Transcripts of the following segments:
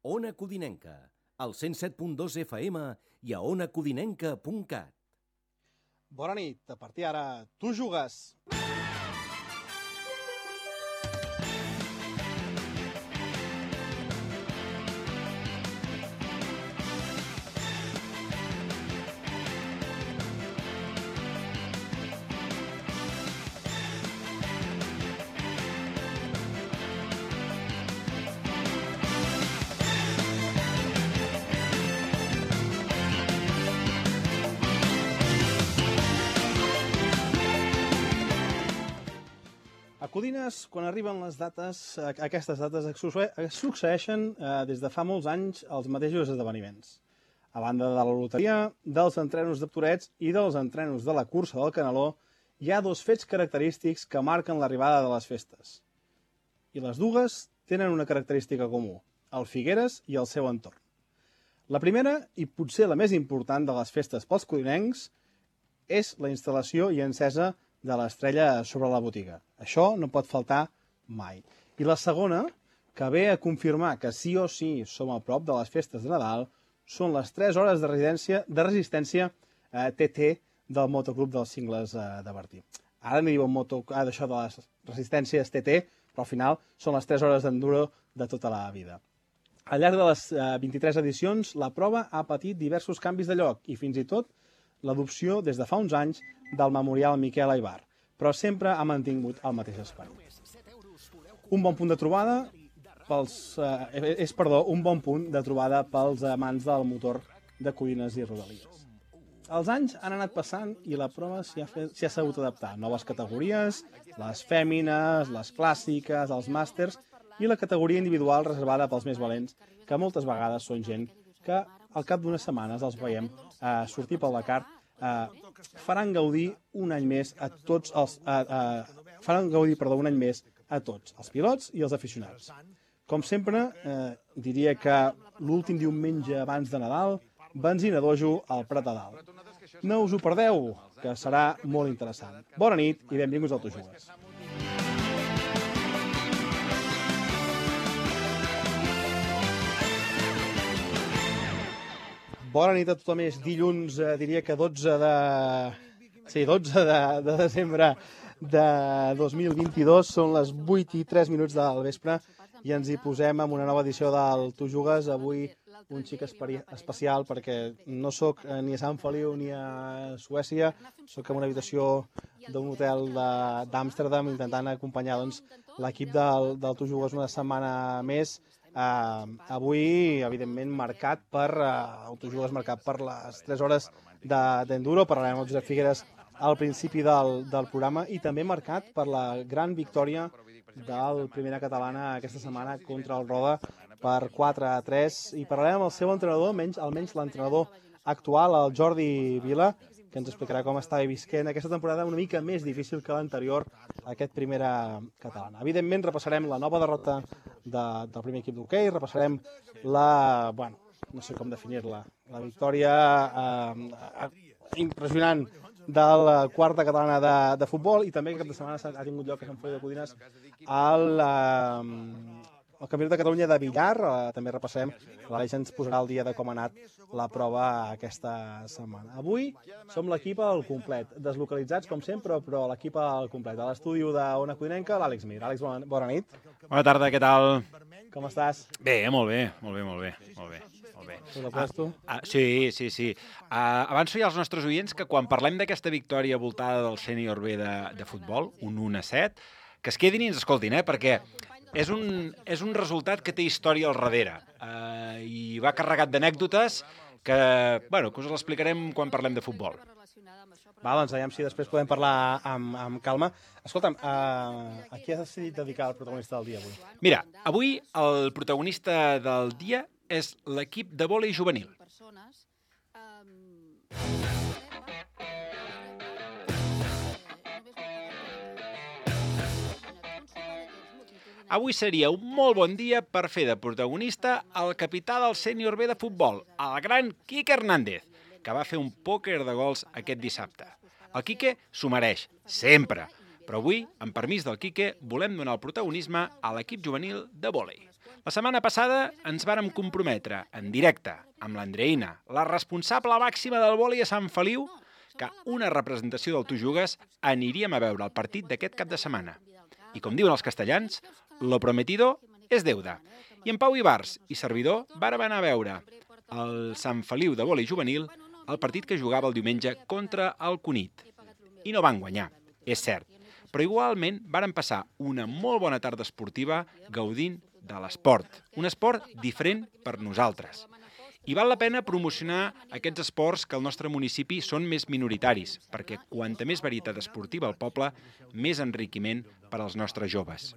Ona Codinenca, al 107.2 FM i a onacodinenca.cat. Bona nit, a partir d'ara tu jugues. A Codines, quan arriben les dates, aquestes dates succeeixen des de fa molts anys els mateixos esdeveniments. A banda de la loteria, dels entrenos de Torets i dels entrenos de la cursa del Caneló, hi ha dos fets característics que marquen l'arribada de les festes. I les dues tenen una característica comú, el Figueres i el seu entorn. La primera, i potser la més important de les festes pels codinencs, és la instal·lació i encesa de l'estrella sobre la botiga. Això no pot faltar mai. I la segona, que ve a confirmar que sí o sí som a prop de les festes de Nadal, són les 3 hores de resistència TT del motoclub dels Cingles de Bertí. Ara n'hi diuen d'això de les resistències TT, però al final són les 3 hores d'enduro de tota la vida. Al llarg de les 23 edicions, la prova ha patit diversos canvis de lloc i fins i tot l'adopció des de fa uns anys del memorial Miquel Aibar, però sempre ha mantingut el mateix espai. Un bon punt de trobada pels amants del motor de Codines i Rodalies. Els anys han anat passant i la prova s'hi ha sabut adaptar. Noves categories, les fèmines, les clàssiques, els màsters i la categoria individual reservada pels més valents, que moltes vegades són gent que al cap d'unes setmanes els veiem sortir pel Dakar, faran gaudir un any més a tots els pilots i els aficionats. Com sempre, diria que l'últim diumenge abans de Nadal, benzina dojo al Prat de Dalt. No us ho perdeu, que serà molt interessant. Bona nit i benvinguts al Tu Jugues. Bona nit a tothom, és dilluns, diria que 12 de desembre de 2022, són les 8:03 del vespre i ens hi posem amb una nova edició del Tu Jugues. Avui un xic especial perquè no sóc ni a Sant Feliu ni a Suècia, sóc en una habitació d'un hotel d'Amsterdam intentant acompanyar l'equip del Tu Jugues una setmana més. Avui, evidentment, marcat per les 3 hores d'enduro. Parlarem amb Josep Figueres al principi del programa i també marcat per la gran victòria del Primera Catalana aquesta setmana contra el Roda per 4-3. I parlarem amb el seu entrenador, almenys l'entrenador actual, el Jordi Vila, que ens explicarà com està visquent aquesta temporada una mica més difícil que l'anterior, aquest Primera Catalana. Evidentment, repassarem la nova derrota del primer equip d'hoquei, repassarem no sé com definir-la, la victòria impressionant de la quarta catalana de futbol i també que cap de setmana ha tingut lloc a Sant Feliu de Codines el Campionat de Catalunya de billar. També repassem, l'Aleix ens posarà el dia de com ha anat la prova aquesta setmana. Avui som l'equip al complet, deslocalitzats com sempre, però l'equip al complet. A l'estudi d'Ona Codinenca, l'Àlex Mir. Àlex, bona nit. Bona tarda, què tal? Com estàs? Bé, molt bé. Tu la poses tu? Sí. Avanço ja als nostres oients que quan parlem d'aquesta victòria voltada del sènior B de futbol, un 1-7, que es quedin i ens escoltin, perquè és un resultat que té història al darrere i va carregat d'anècdotes que us l'explicarem quan parlem de futbol. Va, doncs, aviam si després podem parlar amb calma. Escolta'm, a qui has decidit dedicar el protagonista del dia avui? Mira, avui el protagonista del dia és l'equip de vòlei juvenil. Avui seria un molt bon dia per fer de protagonista el capità del sènior B de futbol, el gran Quique Hernández, que va fer un pòquer de gols aquest dissabte. El Quique s'ho mereix, sempre, però avui, amb permís del Quique, volem donar el protagonisme a l'equip juvenil de vòlei. La setmana passada ens vàrem comprometre, en directe, amb l'Andreïna, la responsable màxima del vòlei a Sant Feliu, que una representació del Tu Jugues aniríem a veure el partit d'aquest cap de setmana. I com diuen els castellans, lo prometido és deuda. I en Pau Ibars i servidor vàrem anar a veure el Sant Feliu de vòlei juvenil el partit que jugava el diumenge contra el Cunit. I no van guanyar, és cert, però igualment varen passar una molt bona tarda esportiva gaudint de l'esport, un esport diferent per nosaltres. I val la pena promocionar aquests esports que al nostre municipi són més minoritaris, perquè quanta més varietat esportiva al poble, més enriquiment per als nostres joves.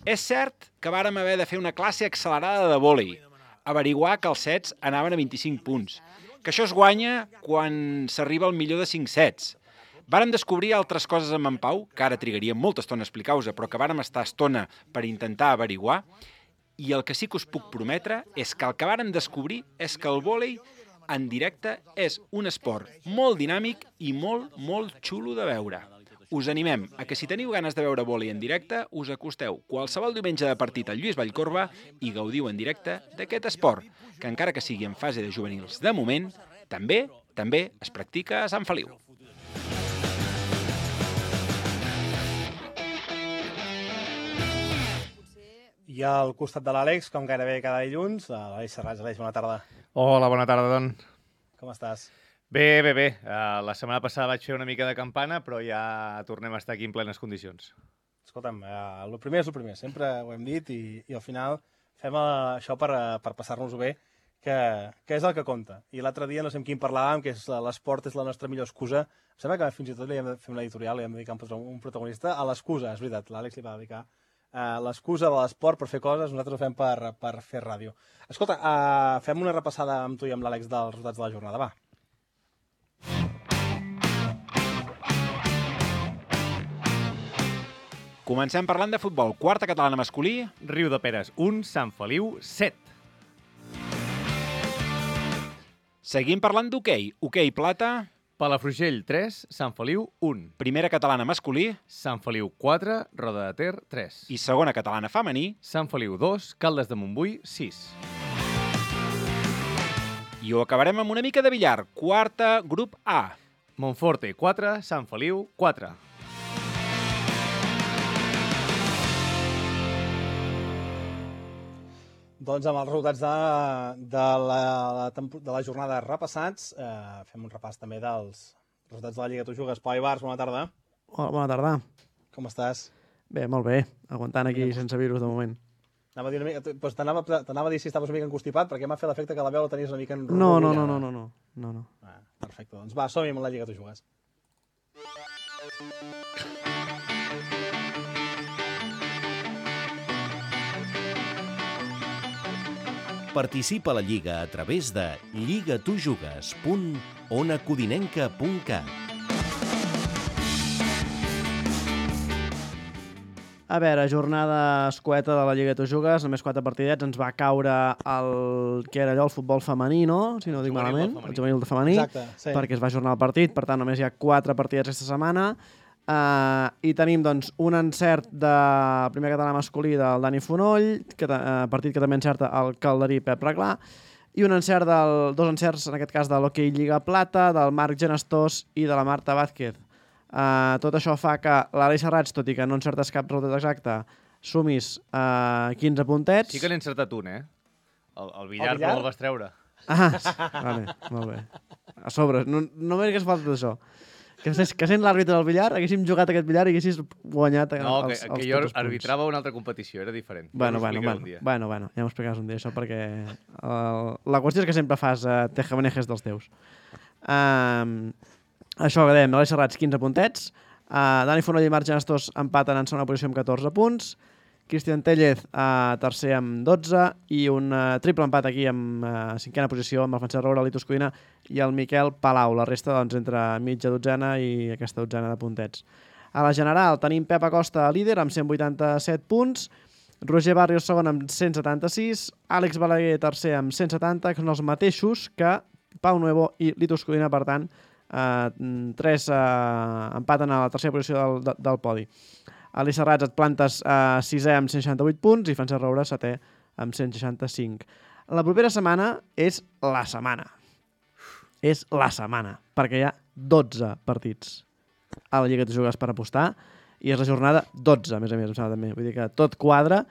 És cert que vàrem haver de fer una classe accelerada de vòlei, averiguar que els sets anaven a 25 punts, que això es guanya quan s'arriba al millor de 5 sets. Vàrem descobrir altres coses amb en Pau, que ara trigaríem molta estona a explicar-vos, però que vàrem estar estona per intentar averiguar, i el que sí que us puc prometre és que el que vàrem descobrir és que el vòlei en directe és un esport molt dinàmic i molt, molt xulo de veure. Us animem a que si teniu ganes de veure vòlei en directe, us acosteu qualsevol diumenge de partit al Lluís Vallcorba i gaudiu en directe d'aquest esport, que encara que sigui en fase de juvenils de moment, també es practica a Sant Feliu. I al costat de l'Àlex, com gairebé cada dilluns, l'Àlex Serrats. Àlex, bona tarda. Hola, bona tarda, Don. Com estàs? Bé. La setmana passada vaig fer una mica de campana, però ja tornem a estar aquí en plenes condicions. Escolta'm, el primer és el primer, sempre ho hem dit, i al final fem això per passar-nos-ho bé, que és el que compta. I l'altre dia no sé amb quin parlàvem, que l'esport és la nostra millor excusa. Em sembla que fins i tot li hem de fer una editorial, li hem de dedicar un protagonista a l'excusa, és veritat, l'Àlex li va dedicar l'excusa de l'esport per fer coses, nosaltres ho fem per fer ràdio. Escolta, fem una repassada amb tu i amb l'Àlex dels resultats de la jornada, va. Comencem parlant de futbol. Quarta catalana masculí. Riu de Peres 1, Sant Feliu 7. Seguim parlant d'hoquei. Hoquei plata. Palafrugell 3, Sant Feliu 1. Primera catalana masculí. Sant Feliu 4, Roda de Ter 3. I segona catalana femení. Sant Feliu 2, Caldes de Montbui 6. I ho acabarem amb una mica de billar. Quarta, grup A. Montforte 4, Sant Feliu 4. Doncs amb els resultats de la jornada repassats, fem un repàs també dels resultats de la Lliga Tu Jugues. Pau Ibars, bona tarda. Hola, bona tarda. Com estàs? Bé, molt bé. Aguantant aquí sense virus de moment. T'anava a dir si estaves una mica encostipat, perquè m'ha fet l'efecte que la veu la tenies una mica enrotllada. No. Perfecte, doncs va, som-hi amb la Lliga Tu Jugues. Participa a la Lliga a través de lligatujugues.onacodinenca.cat. A veure, jornada escueta de la Lliga Tu Jugues, només 4 partidets, ens va caure el que era allò, el futbol femení, no? Si no ho dic malament, el juvenil de femení, exacte, sí. perquè es va ajornar el partit, per tant només hi ha 4 partidets aquesta setmana. I tenim doncs, un encert de primer català masculí del Dani Fonoll, partit que també encerta el calderí Pep Reglà, i dos encerts, en aquest cas, de l'Hockey Lliga Plata, del Marc Genestós i de la Marta Vázquez. Tot això fa que l'Àlex Serrats, tot i que no encertes cap resultat exacte, sumis 15 puntets. Sí que n'he encertat un, eh? El billar, però el vas treure. Vale, molt bé. A sobre, no m'hagués faltat això. Que sent l'àrbitre del billar, haguéssim jugat aquest billar i haguessis guanyat els que jo arbitrava una altra competició, era diferent. Bueno, ja m'ho explicaràs un dia, això, perquè la qüestió és que sempre fas tejamanejes dels teus. Això que dèiem, l'Àlex Serrats, 15 puntets, Dani Fonoll i Marc Genestós empaten en segona posició amb 14 punts, Cristian Tellez tercer amb 12 i un triple empat aquí amb cinquena posició amb el Francesc Roura, el Litus Codina i el Miquel Palau. La resta doncs, entre mitja dotzena i aquesta dotzena de puntets. A la general tenim Pep Acosta líder amb 187 punts, Roger Barrios segon amb 176, Àlex Balaguer tercer amb 170, que són els mateixos que Pau Nuevo i Litus Codina, per tant, tres empaten a la tercera posició del podi. Àlex Serrats et plantes 6è amb 168 punts i Francesc Roura 7è amb 165. La propera setmana és la setmana. És la setmana, perquè hi ha 12 partits a la Lliga de Jugues per apostar i és la jornada 12, a més, em sembla també. Vull dir que tot quadra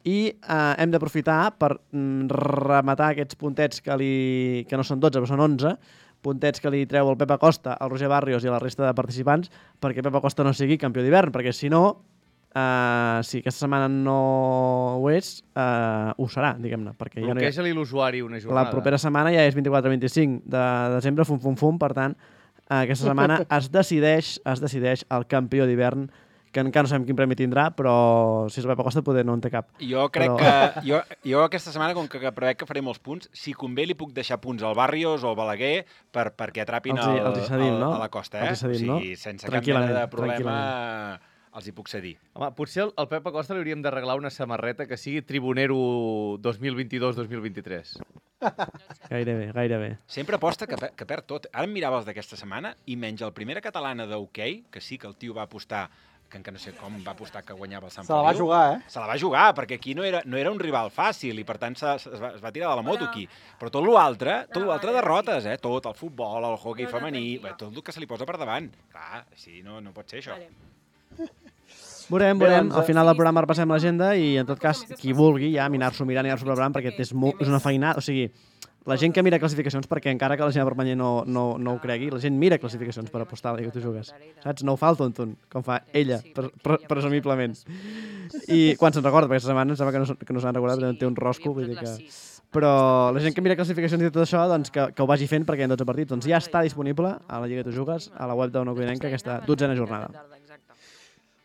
i hem d'aprofitar per rematar aquests puntets que no són 12, però són 11, puntets que li treu el Pep Acosta, el Roger Barrios i a la resta de participants perquè Pep Acosta no sigui campió d'hivern, perquè si no, si aquesta setmana no ho és, ho serà, diguem-ne. Bloqueja-li l'usuari una jornada. La propera setmana ja és 24-25 de desembre, fum, per tant, aquesta setmana es decideix el campió d'hivern, que encara no sabem quin premi tindrà, però si és el Pep Acosta poder no en té cap. Jo crec que jo aquesta setmana, com que prevec que faré molts punts, si convé li puc deixar punts al Barrios o al Balaguer perquè atrapin a la Costa. O sigui, sense cap mena de problema els hi puc cedir. Home, potser al Pep Acosta li hauríem d'arreglar una samarreta que sigui Tribunero 2022-2023. Gairebé. Sempre aposta que perd tot. Ara em mirava els d'aquesta setmana i menys el primera catalana d'hoquei, que sí que el tio va apostar, que encara no sé com va apostar que guanyava el Sant Feliu. Se la va jugar, Se la va jugar, perquè aquí no era un rival fàcil i, per tant, es va tirar de la moto aquí. Però tot l'altre derrotes, tot, el futbol, el hoquei femení, tot el que se li posa per davant. Clar, així no pot ser, això. Veurem. Al final del programa repassem l'agenda i, en tot cas, qui vulgui ja mirar-s'ho mirant i anar-s'ho preparant, perquè és una feinada. O sigui, la gent que mira classificacions, perquè encara que la gent de Permanyer no ho cregui, la gent mira classificacions per apostar a la Lliga que tu jugues. Saps? No ho fa el tonton, com fa ella, presumiblement. I quan se'n recorda, perquè aquesta setmana em sembla que no s'han recordat, perquè té un rosco, vull dir que... Però la gent que mira classificacions i tot això, doncs que ho vagi fent perquè hi ha 12 partits. Doncs ja està disponible a la Lliga que tu jugues, a la web d'Ona Codinenca, aquesta 12a jornada.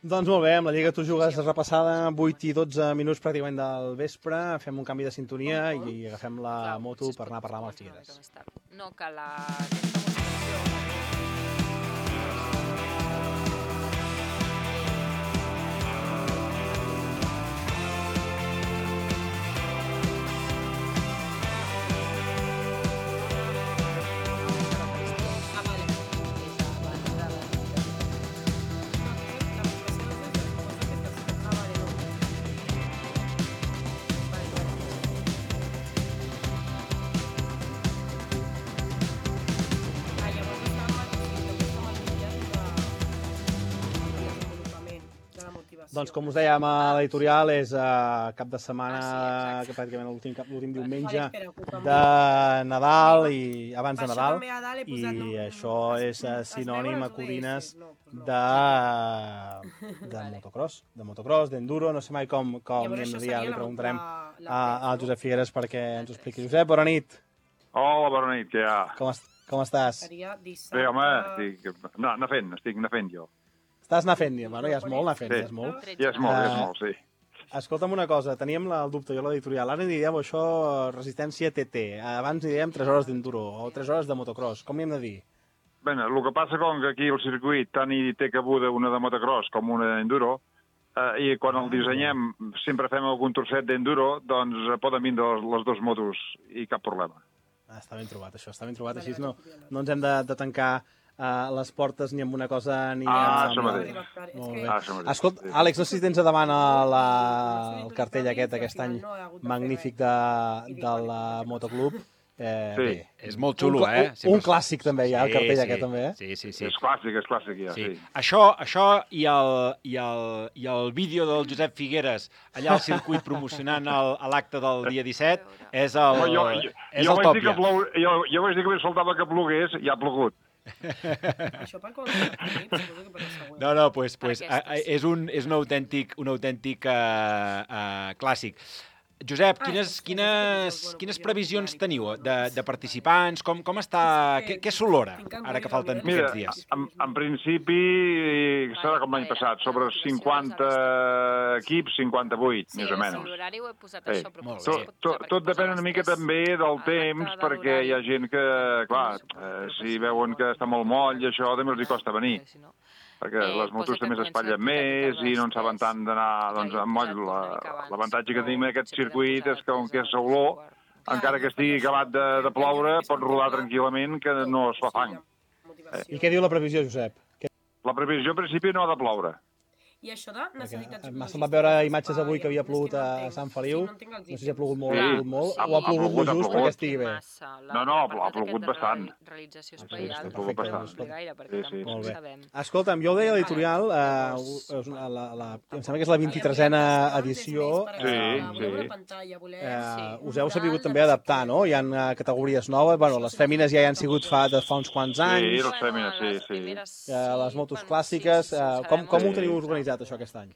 Doncs molt bé, amb la Lliga que tu jugues repassada, 8 i 12 minuts pràcticament del vespre, fem un canvi de sintonia i agafem la moto per anar a parlar amb el Figueres. No, que la... Doncs com us dèiem a l'editorial, és cap de setmana, que pràcticament l'últim diumenge de Nadal i abans de Nadal, i això és sinònim a Codines de motocross, d'enduro, no sé mai com n'hi hem de dir, li preguntarem al Josep Figueres perquè ens ho expliqui. Josep, bona nit. Hola, bona nit, què hi ha? Com estàs? Bé, home, estic anar fent jo. Estàs anar fent, bueno, ja és molt anar fent, ja és molt, sí. Escolta'm una cosa, teníem el dubte, jo a l'editorial, ara n'hi diem això resistència TT, abans n'hi diem 3 hores d'enduro o 3 hores de motocross, com n'hi hem de dir? Bé, el que passa com que aquí el circuit tant hi té cabuda una de motocross com una d'enduro, i quan el dissenyem sempre fem algun trosset d'enduro, doncs poden vindre les dues motos i cap problema. Està ben trobat, això, està ben trobat, així no ens hem de tancar les portes ni amb una cosa ni amb... Això mateix. Escolta, Àlex, no sé si tens a davant el cartell aquest any magnífic de la Motoclub. Sí. És molt xulo, Un clàssic també hi ha, el cartell aquest també, Sí. És clàssic, ja, sí. Això i el vídeo del Josep Figueres allà al circuit promocionant l'acte del dia 17 és el top ja. Jo vaig dir que faltava que plogués i ha plogut. Això per quan suposo que per la següent. No, doncs és un autèntic clàssic. Josep, quines previsions teniu de participants? Com està? Què s'olora ara que falten poquets dies? En principi serà com l'any passat, sobre 50 equips, 58, més o menys. Sí, l'horari ho he posat això, però tot depèn una mica també del temps, perquè hi ha gent que, clar, si veuen que està molt moll, això també els costa venir. Perquè les motos també s'espatllen més i no en saben tant d'anar amb moll. L'avantatge que tenim en aquest circuit és que, com que és olor, encara que estigui acabat de ploure, pot rodar tranquil·lament, que no es fa fang. I què diu la previsió, Josep? La previsió, en principi, no ha de ploure. I això de necessitats M'ha semblat veure imatges avui que havia plogut a Sant Feliu. No sé si ha plogut molt, o ha plogut lo just perquè estigui bé. No, ha plogut bastant. Realització Sí, espaial, ha plogut bastant. gaire, perquè Sí, tampoc molt bé. sabem. Escolta'm, jo ho deia a l'editorial, em sembla que és la 23a edició. Us heu sabut també adaptar, no? Hi ha categories noves, bueno, les fèmines ja hi han sigut fa uns quants anys. Sí, les fèmines, sí. Les motos clàssiques, com ho teniu organitzat això aquest any?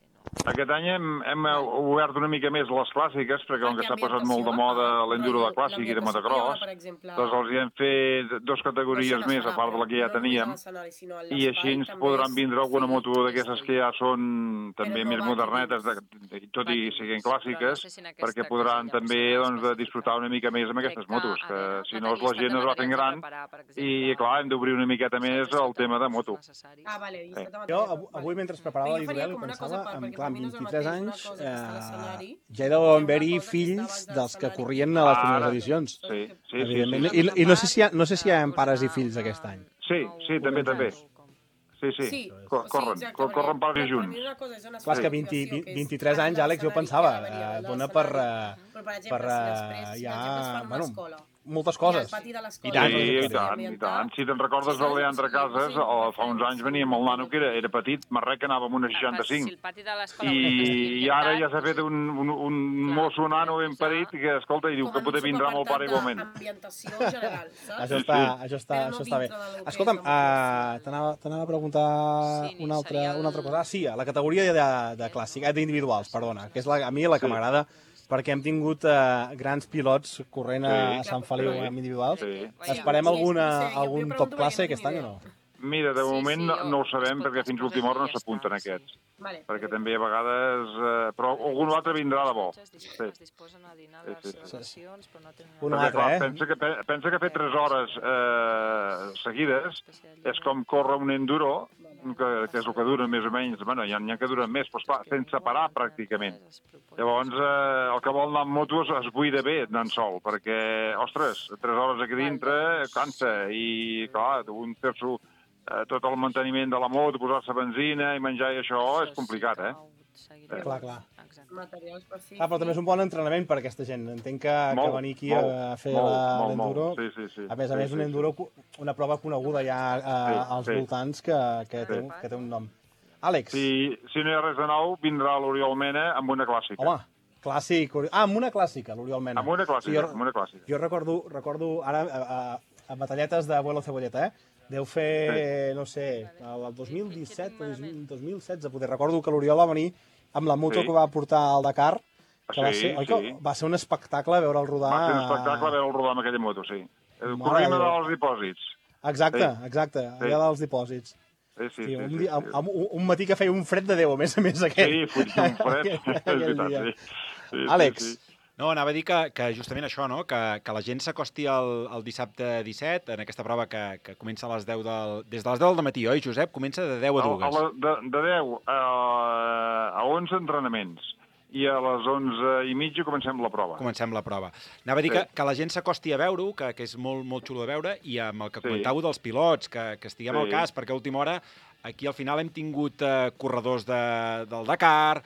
Aquest any hem obert una mica més les clàssiques, perquè com que s'ha posat molt de moda l'enduro de clàssic i de motocross, doncs els hi hem fet 2 categories més, a part de la que ja teníem, i així ens podran vindre alguna moto d'aquestes que ja són també més modernetes, tot i siguin clàssiques, perquè podran també disfrutar una mica més amb aquestes motos, que si no la gent es va fent gran i, clar, hem d'obrir una miqueta més el tema de moto. Jo, avui, mentre preparava l'editorial, pensava, clar, amb 23 anys, ja hi deuen haver-hi fills dels que corrien a les primeres edicions. Sí. I no sé si hi ha pares i fills aquest any. Sí, també. Sí. Corren pares i junts. Clar, és que 23 anys, Àlex, jo pensava, dona per ja, bueno, moltes coses. I tant. Si te'n recordes del Leandre Casas, fa uns anys venia amb el nano que era petit, marrec, que anava amb una 65. I ara ja s'ha fet un mosso nano ben parit que, escolta, i diu que poder vindrà amb el pare igualment. Això està bé. Escolta'm, t'anava a preguntar una altra cosa. Sí, a la categoria de clàssic, d'individuals, perdona, que és a mi la que m'agrada, perquè hem tingut grans pilots corrent a Sant Feliu amb individuals. Esperem algun top classe aquest any o no? Mira, de moment no ho sabem, perquè fins a última hora no s'apunten aquests. Perquè també a vegades... Però algun altre vindrà de bo. Un altre, Pensa que fer 3 hores seguides és com córrer un enduro, que és el que dura més o menys, bueno, hi ha que duren més, però esclar, sense parar pràcticament. Llavors, el que vol anar amb moto es buida bé anant sol, perquè, ostres, 3 hores aquí dintre cansa, i clar, un fer-s'ho tot el manteniment de la moto, posar-se benzina i menjar i això és complicat, Clar. Però també és un bon entrenament per a aquesta gent. Entenc que venir aquí a fer l'enduro... A més, un enduro, una prova coneguda ja als voltants que té un nom. Àlex? Si no hi ha res de nou, vindrà l'Oriol Mena amb una clàssica. Home, clàssic. Amb una clàssica, l'Oriol Mena. Amb una clàssica. Jo recordo ara, a batalletes de Vuelo Cebolleta, deu fer, no sé, el 2017 o 2016, poder. Recordo que l'Oriol va venir amb la moto que va portar al Dakar, que va ser un espectacle veure'l rodar... Va ser un espectacle veure'l rodar amb aquella moto, sí. Corrent dels dipòsits. Exacte, allà dels dipòsits. Sí. Un matí que feia un fred de Déu, a més aquest. Sí, fotia un fred. Àlex? No, anava a dir que justament això, no? Que la gent s'acosti el dissabte 17, en aquesta prova que comença a les 10 des de les 10 del matí, oi, Josep? Comença de 10 a 2. De 10 a 11 entrenaments. I a les 11:30 comencem la prova. Anava a dir que la gent s'acosti a veure-ho, que és molt, molt xulo de veure, i amb el que comentàveu dels pilots, que estiguem al cas, perquè a última hora aquí al final hem tingut corredors del Dakar,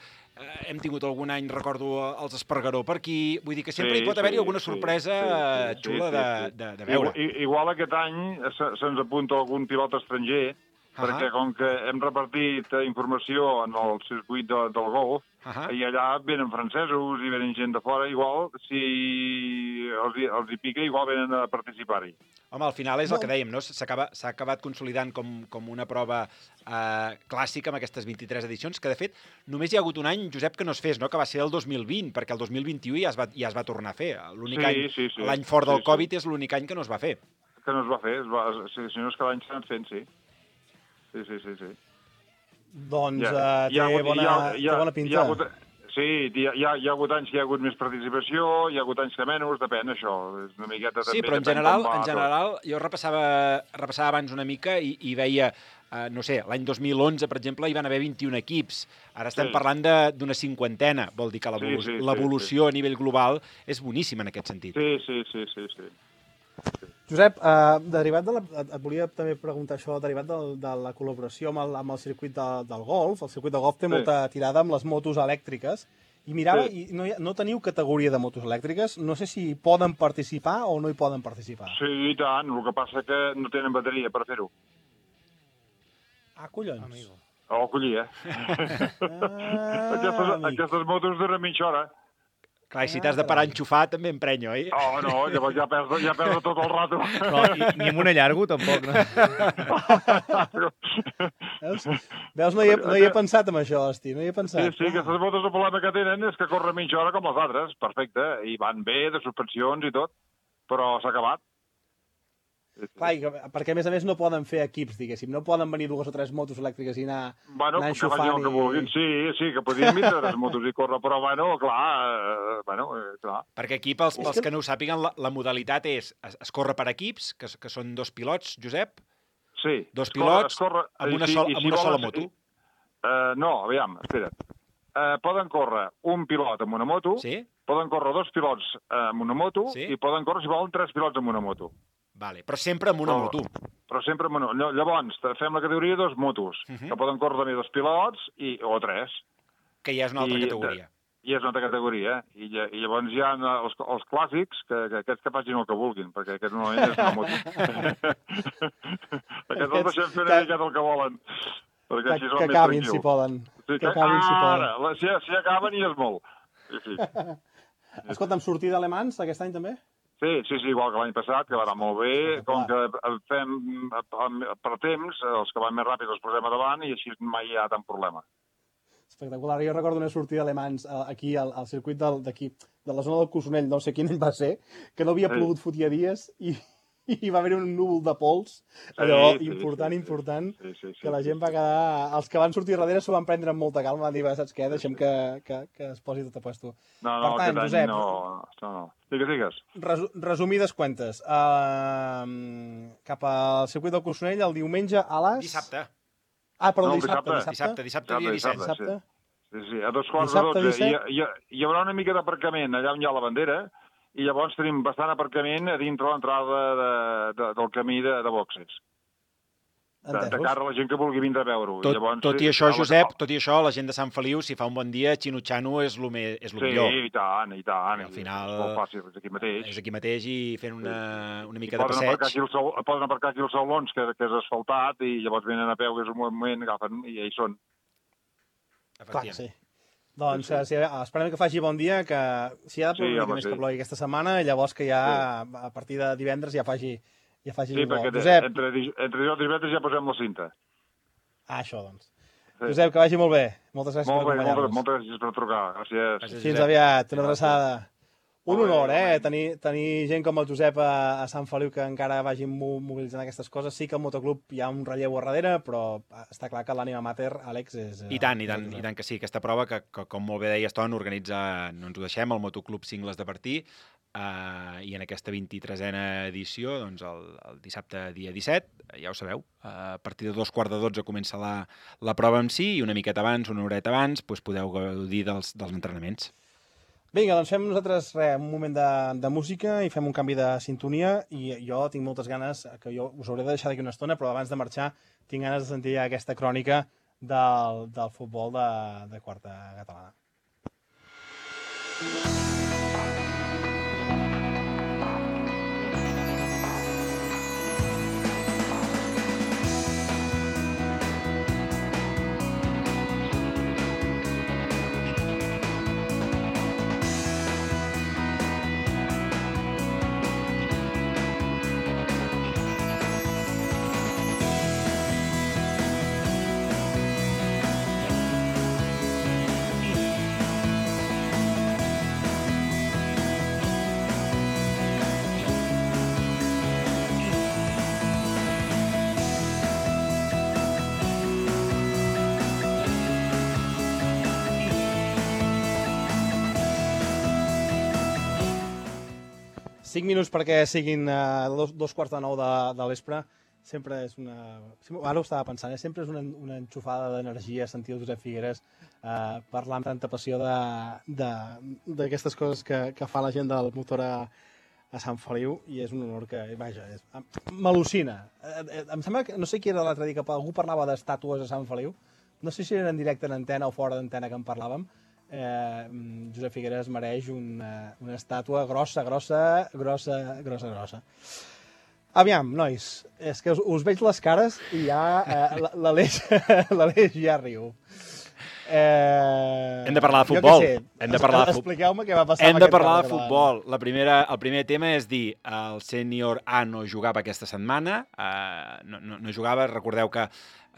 hem tingut algun any, recordo, els Espargaró per aquí, vull dir que sempre hi pot haver-hi alguna sorpresa xula de veure. Igual aquest any se'ns apunta algun pilot estranger, perquè com que hem repartit informació en el circuit del golf, i allà venen francesos i venen gent de fora, igual, si els hi pica, igual venen a participar-hi. Home, al final és el que dèiem, no? S'ha acabat consolidant com una prova clàssica amb aquestes 23 edicions, que de fet només hi ha hagut un any, Josep, que no es fes, no? Que va ser el 2020, perquè el 2021 ja es va tornar a fer. L'únic any, l'any fort del Covid, és l'únic any que no es va fer. Que no es va fer, si no és que l'any s'ha anat fent, sí. Sí. Doncs té bona pinta. Sí, hi ha hagut anys que hi ha hagut més participació, hi ha hagut anys que menys, depèn, això. És una miqueta també... Sí, però en general jo repassava abans una mica i veia, no sé, l'any 2011, per exemple, hi van haver 21 equips. Ara estem parlant d'una 50ena. Vol dir que l'evolució a nivell global és boníssima en aquest sentit. Sí. Josep, derivat et volia també preguntar això, derivat de la col·laboració amb el circuit del golf. El circuit de golf té molta tirada amb les motos elèctriques. I mirava, i no teniu categoria de motos elèctriques. No sé si poden participar o no hi poden participar. Sí, i tant. El que passa que no tenen bateria per fer-ho. Ah, collons. Amigo. Oh, collí, Aquestes motos duren mitja hora. Clar, i si t'has de parar a enxufar, també emprenya, oi? Oh, no, llavors ja perds tot el rato. Però ni amb una llargo, tampoc, no? Veus, no hi he pensat en això, hosti, no hi he pensat. Sí, aquestes motos el problema que tenen és que corren mitja hora com les altres, perfecte, i van bé, de suspensions i tot, però s'ha acabat. Clar, perquè a més no poden fer equips, diguéssim, no poden venir 2 o 3 motos elèctriques i anar enxufant. Que vagin el que vulguin, sí, que podien vindre 3 motos i córrer, però clar. Perquè aquí, pels que no ho sàpiguen, la modalitat es corre per equips, que són 2 pilots, Josep? Sí. 2 pilots amb una sola moto? No, aviam, espera't. Poden córrer un pilot amb una moto, poden córrer 2 pilots amb una moto i poden córrer, si volen, 3 pilots amb una moto. Vale, però sempre amb una moto. Però sempre amb una... Llavors, fem la categoria de 2 motos, que poden córrer també 2 pilots o 3. Que ja és una altra categoria. I és una altra categoria. I llavors hi ha els clàssics, que aquests que facin el que vulguin, perquè aquest normalment és una moto. Aquests els deixem fer una miqueta el que volen. Que acabin, si poden. Ara, si acaben i és molt. Escolta'm, sortir d'alemans aquest any també? Sí, igual que l'any passat, que va anar molt bé. Com que fem per temps, els que van més ràpid els posem a davant i així mai hi ha tant problema. Espectacular. Jo recordo una sortida d'alemans aquí al circuit d'aquí, de la zona del Cossonell, no sé quin any va ser, que no havia plogut fotia dies i va haver un núvol de pols, allò important, que la gent va quedar... Els que van sortir darrere s'ho van prendre amb molta calma, van dir, saps què, deixem que es posi tot a puesto. No, aquest any no. Digues. Resumides cuentes. Cap al circuit del Cossonell el diumenge a les... Dissabte. Ah, perdó, dissabte, dia 17. Sí, a 2:15. Hi haurà una mica d'aparcament allà on hi ha la bandera, i llavors tenim bastant aparcament a dintre l'entrada del camí de boxes. De cara a la gent que vulgui vindre a veure-ho. Tot i això, Josep, la gent de Sant Feliu, si fa un bon dia, xinutxant-ho és el millor. Sí, i tant. Al final... És molt fàcil, és aquí mateix. És aquí mateix i fent una mica de passeig. Poden aparcar aquí els saulons, que és asfaltat, i llavors venen a peu, que és un moment, agafen, i ja hi són. Clar, sí. Doncs esperem que faci bon dia, que si ha de ploure més que plogui aquesta setmana, llavors que ja a partir de divendres ja faci sí, perquè entre dijous i divendres ja posem la cinta. Ah, això, doncs. Josep, que vagi molt bé. Moltes gràcies per acompanyar-nos. Moltes gràcies per trucar. Gràcies. Fins aviat. Una abraçada. Un honor, tenir gent com el Josep a Sant Feliu que encara vagin mobilitzant aquestes coses. Sí que al motoclub hi ha un relleu a darrere, però està clar que l'ànima mater, Àlex, és... I tant que sí. Aquesta prova, que com molt bé deies, Ton, organitza, no ens ho deixem, el Motoclub Cingles de Bertí, i en aquesta 23a edició, doncs el dissabte dia 17, ja ho sabeu, a partir de 11:45 comença la prova en si, i una miqueta abans, una horeta abans, doncs podeu gaudir dels entrenaments. Vinga, doncs fem nosaltres un moment de música i fem un canvi de sintonia, i jo tinc moltes ganes, que jo us hauré de deixar d'aquí una estona, però abans de marxar tinc ganes de sentir aquesta crònica del futbol de quarta catalana. Cinc minuts perquè siguin 8:45 de l'espre. Sempre és una... Ara ho estava pensant, sempre és una enxufada d'energia sentir el Josep Figueres parlar amb tanta passió d'aquestes coses que fa la gent del motor a Sant Feliu i és un honor que, vaja, m'al·lucina. Em sembla que, no sé qui era l'altre dia, que algú parlava d'estàtues a Sant Feliu, no sé si era en directe en antena o fora d'antena que en parlàvem. Josep Figueres mereix una estàtua grossa. Aviam, nois, és que us veig les cares i ja l'Aleix ja riu. Hem de parlar de futbol. Expliqueu-me què va passar. Hem de parlar de futbol. El primer tema és dir, el sènior A no jugava aquesta setmana, no jugava, recordeu que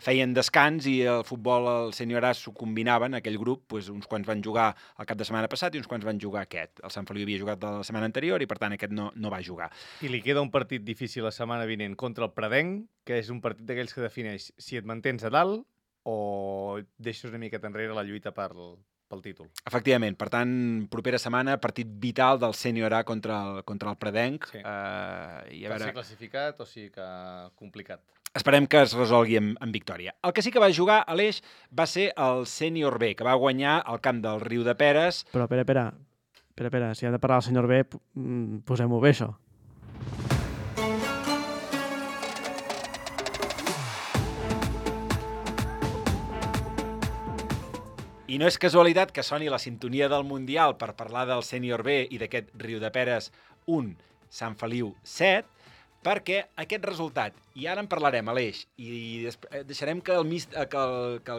feien descans i el futbol, el sènior A s'ho combinaven, aquell grup, uns quants van jugar el cap de setmana passat i uns quants van jugar aquest. El Sant Feliu havia jugat la setmana anterior i, per tant, aquest no va jugar. I li queda un partit difícil la setmana vinent contra el Predenc, que és un partit d'aquells que defineix si et mantens a dalt o deixes una miqueta enrere la lluita pel títol. Efectivament. Per tant, propera setmana, partit vital del sènior A contra el Predenc. Sí. Per ser classificat o sigui que complicat. Esperem que es resolgui amb victòria. El que sí que va jugar, Aleix, va ser el sènior B, que va guanyar al camp del Riu de Peres. Però, espera, si hem de parlar del sènior B, posem-ho bé, això. I no és casualitat que soni la sintonia del Mundial per parlar del sènior B i d'aquest Riu de Peres 1, Sant Feliu 7, perquè aquest resultat, i ara en parlarem, Aleix, i deixarem que el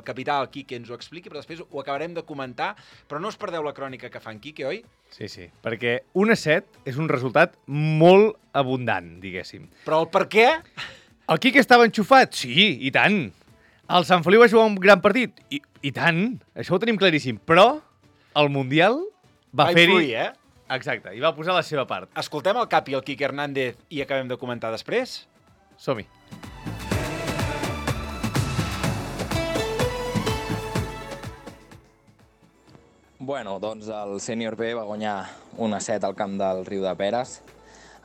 capità, el Quique, ens ho expliqui, però després ho acabarem de comentar, però no us perdeu la crònica que fa en Quique, oi? Sí, perquè 1-7 és un resultat molt abundant, diguéssim. Però el per què? El Quique estava enxufat? Sí, i tant. El Sant Feliu va jugar un gran partit? I tant, això ho tenim claríssim. Però el Mundial va fer-hi... influir, eh? Exacte, i va posar la seva part. Escoltem el Capi, el Quique Hernández, i acabem de comentar després? Som-hi. Bueno, doncs el sènior B va guanyar 1-7 al camp del Riu de Peres.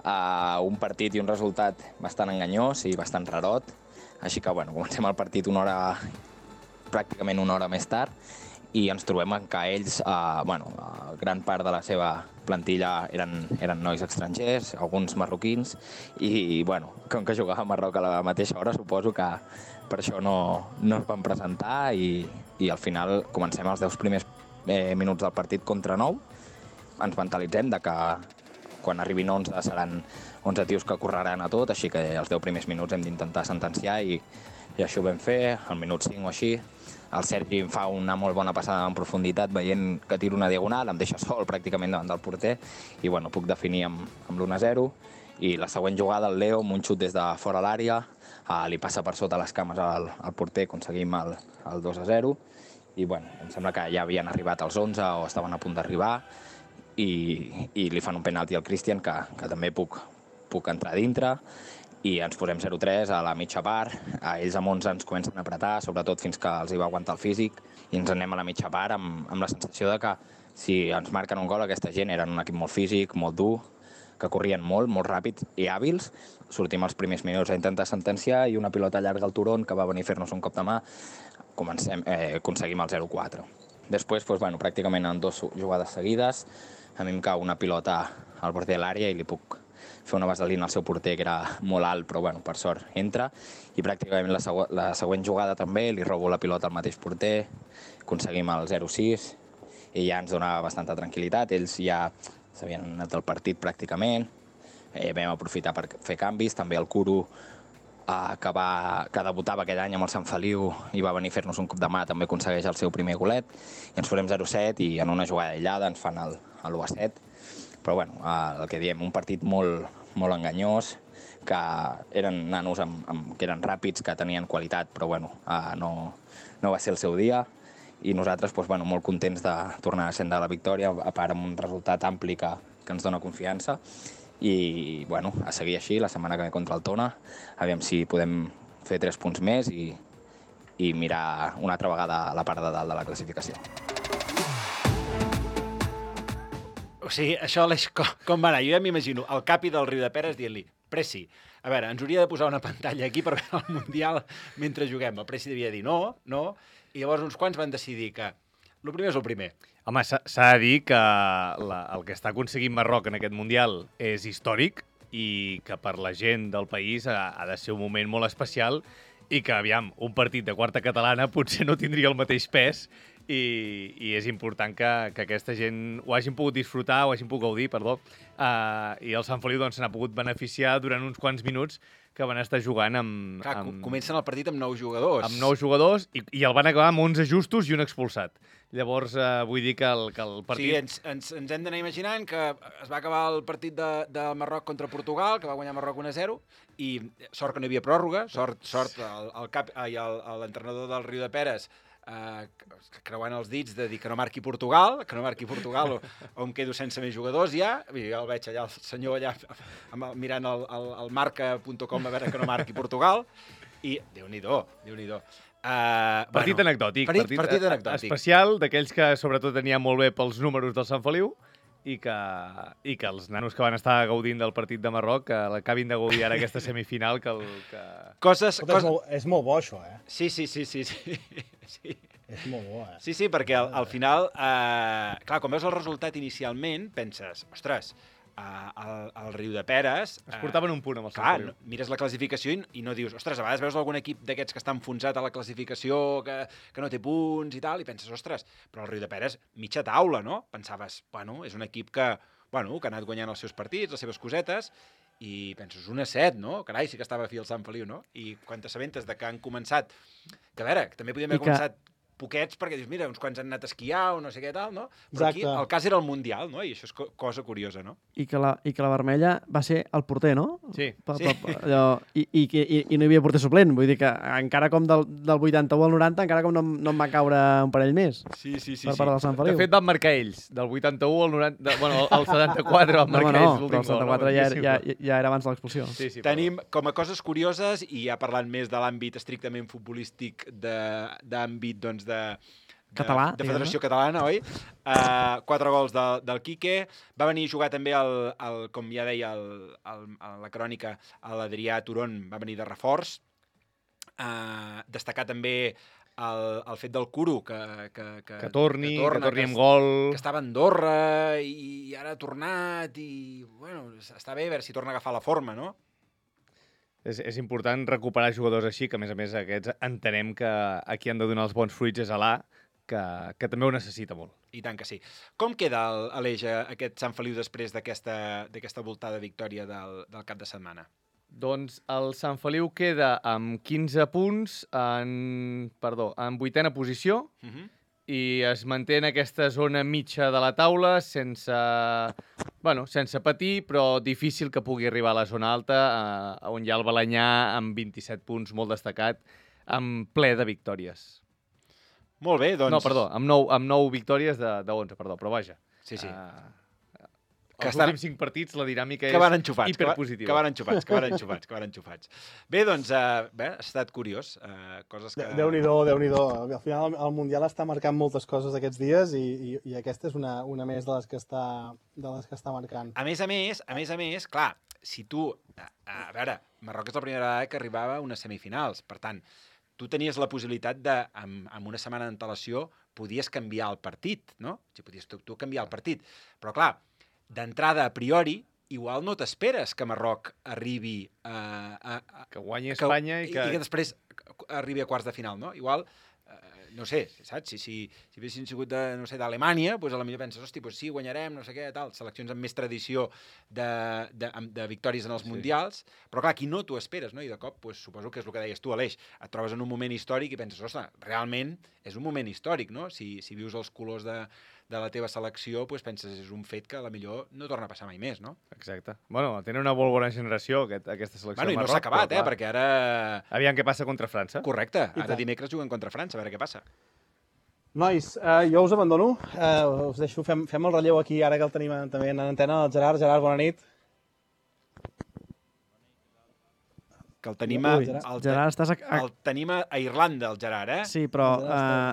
Un partit i un resultat bastant enganyós i bastant rarot. Així que, bueno, comencem el partit pràcticament una hora més tard i ens trobem que ells, gran part de la seva plantilla eren nois estrangers, alguns marroquins, i, bueno, com que jugava a Marroc a la mateixa hora, suposo que per això no es van presentar i al final comencem els 10 primers minuts del partit contra 9. Ens mentalitzem de que quan arribin 11 seran 11 tios que correran a tot, així que els 10 primers minuts hem d'intentar sentenciar i això ho vam fer, al minut 5 o així. El Sergi em fa una molt bona passada en profunditat, veient que tiro una diagonal, em deixa sol pràcticament davant del porter i bueno, puc definir amb l'1-0. I la següent jugada, el Leo, amb un xut des de fora l'àrea, li passa per sota les cames al porter, aconseguim el 2-0. I bueno, em sembla que ja havien arribat els 11 o estaven a punt d'arribar i li fan un penalti al Cristian que també puc entrar dintre i ens posem 0-3 a la mitja part. Ells amb 11 ens comencen a apretar, sobretot fins que els hi va aguantar el físic, i ens anem a la mitja part amb la sensació de que si ens marquen un gol aquesta gent eren un equip molt físic, molt dur, que corrien molt ràpids i hàbils. Sortim els primers minuts a intentar sentenciar i una pilota llarga al Turón que va venir a fer-nos un cop de mà, aconseguim el 0-4. Després, pràcticament en 2 jugades seguides, a mi em cau una pilota al bord de l'àrea i li puc fer una vaselina al seu porter, que era molt alt, però per sort entra. I pràcticament la següent jugada també li robo la pilota al mateix porter, aconseguim el 0-6 i ja ens donava bastanta tranquil·litat. Ells ja s'havien anat del partit pràcticament, vam aprofitar per fer canvis, també el Curo, que debutava aquell any amb el Sant Feliu i va venir a fer-nos un cop de mà, també aconsegueix el seu primer golet, i ens posem 0-7 i en una jugada aïllada ens fan l'1-7. Però el que diem, un partit molt enganyós, que eren nanos que eren ràpids, que tenien qualitat, però no va ser el seu dia. I nosaltres molt contents de tornar a ascendre la victòria, a part amb un resultat ampli que ens dona confiança. I a seguir així la setmana que ve contra el Tona, aviam si podem fer 3 punts més i mirar una altra vegada la part de dalt de la classificació. O sigui, això, Aleix, com va anar? Jo ja m'imagino el Capi del Riu de Peres dient-li: Preci, a veure, ens hauria de posar una pantalla aquí per veure el Mundial mentre juguem. El Preci devia dir no, i llavors uns quants van decidir que el primer és el primer. Home, s'ha de dir que el que està aconseguint Marroc en aquest Mundial és històric i que per la gent del país ha de ser un moment molt especial i que, aviam, un partit de quarta catalana potser no tindria el mateix pes i és important que aquesta gent ho hagin pogut disfrutar, ho hagin pogut gaudir, perdó, i el Sant Feliu se n'ha pogut beneficiar durant uns quants minuts que van estar jugant amb... Clar, comencen el partit amb 9 jugadors. Amb 9 jugadors i el van acabar amb 11 justos i un expulsat. Llavors, vull dir que el partit... O sigui, ens hem d'anar imaginant que es va acabar el partit de Marroc contra Portugal, que va guanyar Marroc 1-0, i sort que no hi havia pròrroga, sort l'entrenador del Riu de Peres creuant els dits de dir que no marqui Portugal, o em quedo sense més jugadors ja. Jo el veig allà, el senyor allà mirant el marca.com a veure que no marqui Portugal, i Déu-n'hi-do. Partit anecdòtic. Partit anecdòtic. Especial, d'aquells que sobretot tenia molt bé pels números del Sant Feliu i que els nanos que van estar gaudint del partit de Marroc que l'acabin de gaudir ara aquesta semifinal. És molt bo, això, eh? Sí. És molt bo, eh? Sí, perquè al final, clar, quan veus el resultat inicialment, penses, ostres, el Riu de Peres... Es portaven un punt amb el Sant Feliu. Clar, mires la classificació i no dius, ostres, a vegades veus algun equip d'aquests que està enfonsat a la classificació, que no té punts i tal, i penses, ostres, però el Riu de Peres, mitja taula, no? Pensaves, bueno, és un equip que ha anat guanyant els seus partits, les seves cosetes, i penses, 1-7, no? Carai, sí que estava a fi el Sant Feliu, no? I quan t'assabentes de que han començat... Que a veure, que també podíem haver començat poquets, perquè dius, mira, uns quants han anat a esquiar o no sé què tal, no? Però aquí el cas era el Mundial, no? I això és cosa curiosa, no? I que la vermella va ser el porter, no? Sí. I no hi havia porter suplent. Vull dir que encara com del 81 al 90, encara com no em va caure un parell més. Sí. Per part del Sant Feliu. De fet, van marcar ells. Del 81 al 90... Bueno, al 74 van marcar ells l'últim gol. No, però el 74 ja era abans de l'expulsió. Sí, tenim com a coses curioses, i ja parlant més de l'àmbit estrictament futbolístic, d'àmbit, doncs, català, de Federació Catalana, oi? 4 gols del Quique. Va venir a jugar també, com ja deia la crònica, l'Adrià Turon va venir de reforç. Destacar també el fet del Curo, que torni amb gol. Que estava a Andorra i ara ha tornat i, bueno, està bé a veure si torna a agafar la forma, no? És important recuperar jugadors així, que a més aquests entenem que a qui han de donar els bons fruits és a l'A, que també ho necessita molt. I tant que sí. Com queda Aleix aquest Sant Feliu després d'aquesta voltada victòria del cap de setmana? Doncs el Sant Feliu queda amb 15 punts en 8ª posició i es manté en aquesta zona mitja de la taula sense patir, però difícil que pugui arribar a la zona alta, on hi ha el Balanyà amb 27 punts, molt destacat, amb ple de victòries. Molt bé, doncs... No, perdó, amb 9 victòries de 11, però vaja. Sí. Els últims 5 partits la dinàmica és hiperpositiva. Que van enxufats. Bé, doncs, ha estat curiós. Coses que... Déu-n'hi-do. Al final el Mundial està marcant moltes coses aquests dies i aquesta és una més de les que està marcant. A més a més, clar, si tu... A veure, Marroc és la primera vegada que arribava a unes semifinals. Per tant, tu tenies la possibilitat de, amb una setmana d'antelació, podies canviar el partit, no? O sigui, podies tu canviar el partit. Però, clar, d'entrada, a priori, igual no t'esperes que Marroc arribi que guanyi Espanya i que després arribi a quarts de final, no? Igual, no sé, saps? Si haguessin sigut d'Alemanya, doncs potser penses, hosti, doncs sí, guanyarem, no sé què, tal, seleccions amb més tradició de victòries en els mundials, però clar, aquí no t'ho esperes, no? I de cop, doncs, suposo que és el que deies tu, Aleix, et trobes en un moment històric i penses, ostres, realment és un moment històric, no? Si vius els colors de la teva selecció, doncs penses, és un fet que potser no torna a passar mai més, no? Exacte. Bueno, tenen una molt bona generació, aquesta selecció de Marroc. Bueno, i no s'ha acabat, perquè ara... Aviam què passa contra França. Correcte. Ara dimecres juguen contra França, a veure què passa. Nois, jo us abandono. Us deixo, fem el relleu aquí, ara que el tenim també en antena, el Gerard. Gerard, bona nit. Que el tenim el tenim a Irlanda, el Gerard, eh? Sí, però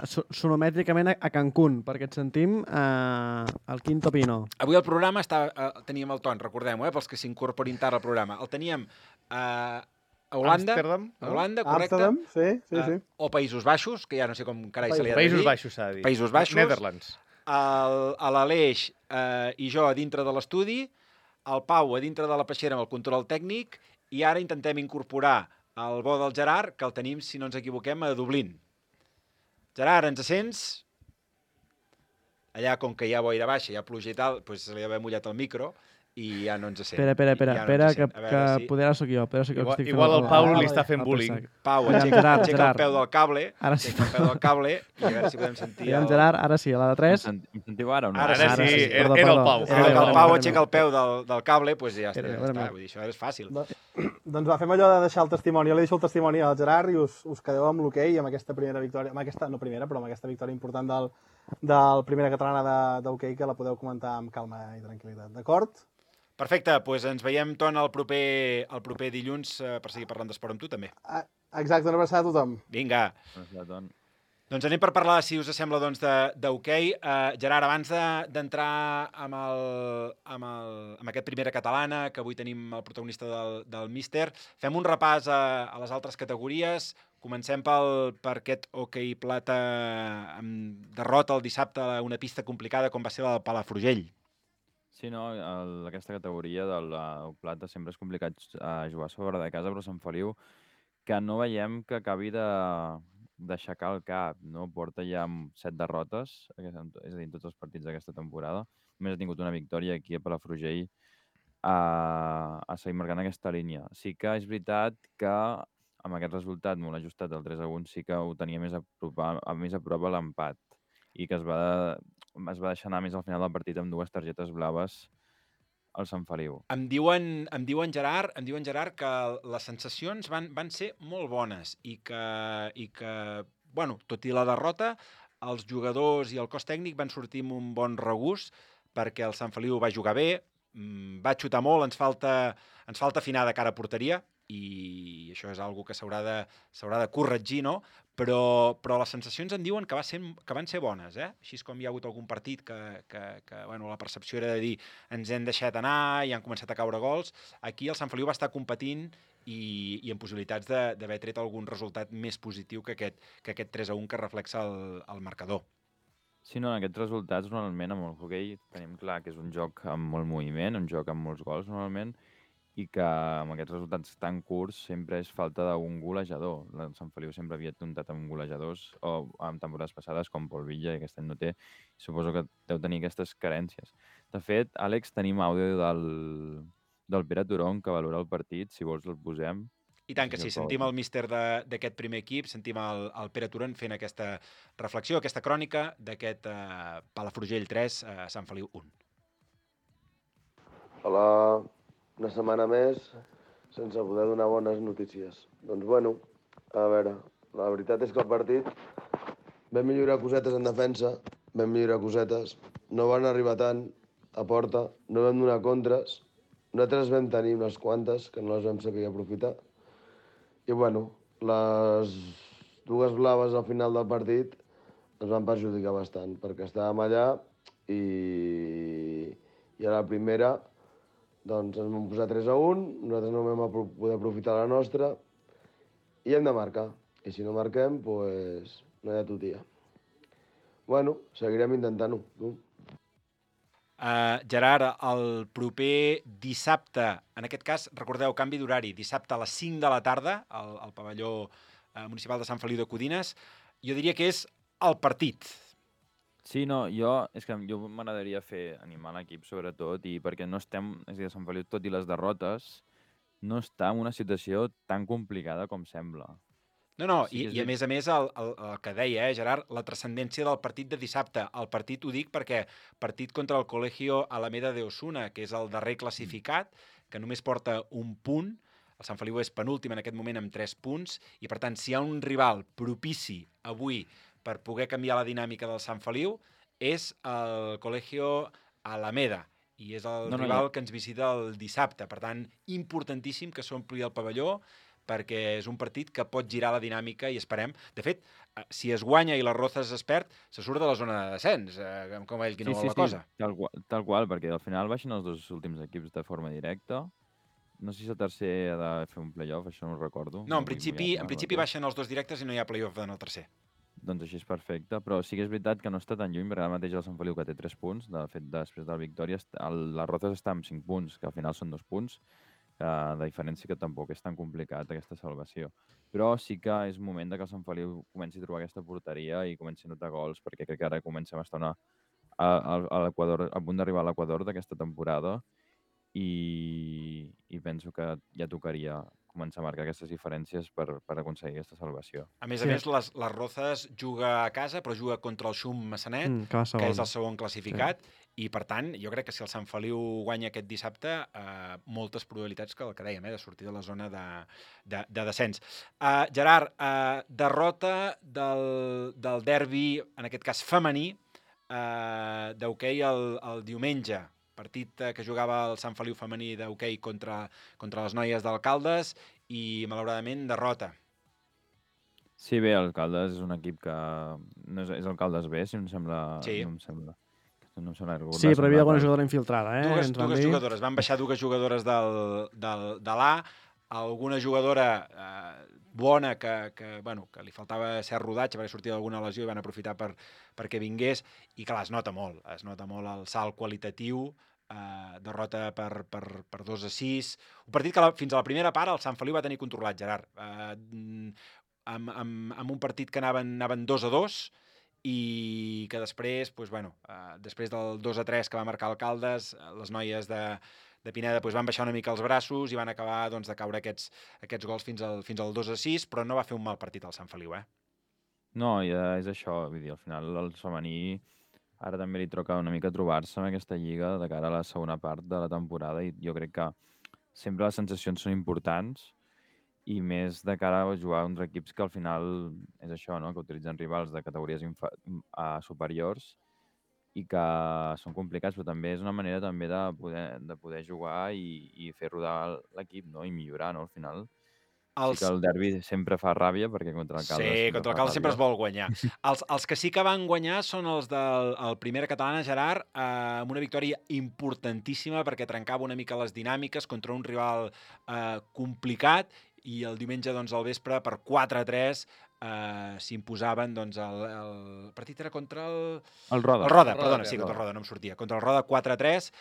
sonomètricament a Cancún, perquè et sentim al Quinto Pino. Avui el programa teníem el Ton, recordem-ho, pels que s'incorporin tard al programa. El teníem a Holanda, correcte? Amsterdam, sí. O Països Baixos, que ja no sé com carai se li ha de dir. Països Baixos s'ha de dir. Països Baixos. Netherlands. a l'Aleix i jo a dintre de l'estudi, el Pau a dintre de la peixera amb el control tècnic, i ara intentem incorporar el bo del Gerard, que el tenim, si no ens equivoquem, a Dublín. Gerard, ens sents? Allà, com que hi ha boira baixa, hi ha pluja i tal, doncs se li ha mullat el micro i ja no ens sent. Espera, que poder ara sóc jo. Igual el Pau li està fent bullying. Pau, aixeca el peu del cable, i a veure si podem sentir... Gerard, ara sí, a la de 3. Em sentiu ara o no? Ara sí, era el Pau. El Pau aixeca el peu del cable, doncs ja està. Vull dir, això és fàcil. Doncs va, fem allò de deixar el testimoni. Jo li deixo el testimoni al Gerard i us quedeu amb l'hoquei, amb aquesta primera victòria, amb aquesta, no primera, però amb aquesta victòria important del primera catalana d'hoquei, que la podeu comentar amb calma i tranquil·litat. D'acord? Perfecte, doncs ens veiem, Ton, el proper dilluns per seguir parlant d'esport amb tu, també. Exacte, una abraçada a tothom. Vinga. Doncs anem per parlar, si us sembla, d'hoquei. Gerard, abans d'entrar amb aquest primera catalana, que avui tenim el protagonista del míster, fem un repàs a les altres categories. Comencem per aquest hoquei plata amb derrota el dissabte a una pista complicada com va ser la de Palafrugell. Sí, no, aquesta categoria del plata sempre és complicat jugar sobre de casa, però Sant Feliu, que no veiem que acabi d'aixecar el cap, no? Porta ja 7 derrotes, és a dir, en tots els partits d'aquesta temporada. Només ha tingut una victòria aquí a Palafrugell a seguir marcant aquesta línia. Sí que és veritat que amb aquest resultat molt ajustat del 3-1 sí que ho tenia més a prop a l'empat i que es va deixar anar més al final del partit amb 2 targetes blaves al Sant Feliu. Em diuen Gerard, que les sensacions van ser molt bones i que, bueno, tot i la derrota, els jugadors i el cos tècnic van sortir amb un bon regust perquè el Sant Feliu va jugar bé, va xutar molt, ens falta afinar de cara a porteria, i això és una cosa que s'haurà de corregir, no? Però les sensacions em diuen que van ser bones, eh? Així com hi ha hagut algun partit que bueno, la percepció era de dir ens hem deixat anar i han començat a caure gols. Aquí el Sant Feliu va estar competint i amb possibilitats d'haver tret algun resultat més positiu que aquest 3-1 que reflexa el marcador. Sí, no, aquests resultats normalment amb el hoquei tenim clar que és un joc amb molt moviment, un joc amb molts gols normalment, i que amb aquests resultats tan curts sempre és falta d'un golejador. El Sant Feliu sempre havia comptat amb golejadors, o en temporades passades, com Pol Villa, i aquest any no té. Suposo que deu tenir aquestes carències. De fet, Àlex, tenim àudio del Pere Turón, que valora el partit, si vols el posem. I tant que sí, sentim el míster d'aquest primer equip, sentim el Pere Turón fent aquesta reflexió, aquesta crònica d'aquest Palafrugell 3, Sant Feliu 1. Hola, una setmana més sense poder donar bones notícies. Doncs bueno, a veure, la veritat és que el partit vam millorar cosetes en defensa, vam millorar cosetes, no van arribar tant a porta, no vam donar contres, nosaltres vam tenir unes quantes que no les vam saber aprofitar. I bueno, les 2 blaves al final del partit ens van perjudicar bastant, perquè estàvem allà i a la primera doncs ens vam posar 3-1, nosaltres no vam poder aprofitar la nostra i hem de marcar. I si no marquem, doncs no hi ha tutia. Bueno, seguirem intentant-ho. Gerard, el proper dissabte, en aquest cas, recordeu, canvi d'horari, dissabte a les 5 de la tarda, al pavelló municipal de Sant Feliu de Codines, jo diria que és el partit. Sí, no, és que jo m'agradaria animar l'equip sobretot, i perquè no estem, és a dir, Sant Feliu, tot i les derrotes, no està en una situació tan complicada com sembla. No, sí, i a més, el que deia, Gerard, la transcendència del partit de dissabte. El partit ho dic perquè partit contra el Colegio Alameda de Osuna, que és el darrer classificat, que només porta un punt. El Sant Feliu és penúltim en aquest moment amb 3 punts, i per tant, si hi ha un rival propici avui per poder canviar la dinàmica del Sant Feliu, és el Colegio Alameda, i és el rival que ens visita el dissabte. Per tant, importantíssim que s'ompli el pavelló, perquè és un partit que pot girar la dinàmica i esperem. De fet, si es guanya i les Rozas es perd, se surt de la zona de descens, com ell qui no vol la cosa. Tal qual, perquè al final baixen els 2 últims equips de forma directa. No sé si el tercer ha de fer un play-off, això no ho recordo. No, en principi baixen els 2 directes i no hi ha play-off en el tercer. doncs així és perfecte, però sí que és veritat que no està tan lluny, perquè ara mateix el Sant Feliu que té 3 punts, de fet, després de la victòria, la Rozas està amb 5 punts, que al final són 2 punts, de diferència que tampoc és tan complicat aquesta salvació. Però sí que és moment que el Sant Feliu comenci a trobar aquesta porteria i comenci a notar gols, perquè crec que ara comencem a estar a l'Equador, a punt d'arribar a l'Equador d'aquesta temporada i penso que ja tocaria començar a marcar aquestes diferències per aconseguir aquesta salvació. A més, les Rozas juga a casa, però juga contra el Xum Massanet, que és el segon classificat, i per tant, jo crec que si el Sant Feliu guanya aquest dissabte, moltes probabilitats que el que dèiem, de sortir de la zona de descens. Gerard, derrota del derbi, en aquest cas femení, d'hoquei el diumenge, partit que jugava el Sant Feliu femení d'hoquei contra les noies d'Alcaldes i, malauradament, derrota. Sí, bé, Alcaldes és un equip que... No és Alcaldes B, si no em sembla... Sí. No em sembla recordar. Sí, però hi havia alguna jugadora infiltrada, Dues jugadores. Van baixar 2 jugadores de l'A, alguna jugadora bona que li faltava cert rodatge perquè sortia d'alguna lesió i van aprofitar perquè vingués, i clar, es nota molt el salt qualitatiu, derrota per 2-6, un partit que fins a la primera part el Sant Feliu va tenir controlat, Gerard, amb un partit que anaven 2-2 i que després, després del 2-3 que va marcar Alcaldes, les noies de Pineda van baixar una mica els braços i van acabar de caure aquests gols fins al 2-6, però no va fer un mal partit el Sant Feliu, No, ja és això, vull dir, al final el femení ara també li toca una mica trobar-se en aquesta lliga de cara a la segona part de la temporada, i jo crec que sempre les sensacions són importants, i més de cara a jugar contra equips que al final és això, no? Que utilitzen rivals de categories superiors i que són complicats, però també és una manera també de poder jugar i fer rodar l'equip, no? I millorar, no? Al final sí que el derbi sempre fa ràbia, perquè contra l'Alcaldes... Sí, contra l'Alcaldes sempre es vol guanyar. Els que sí que van guanyar són els del Primera Catalana, Gerard, amb una victòria importantíssima perquè trencava una mica les dinàmiques contra un rival complicat, i el diumenge al vespre per 4-3 s'imposaven, el partit era contra el Roda. El Roda, perdona, sí, contra el Roda, no em sortia. Contra el Roda 4-3,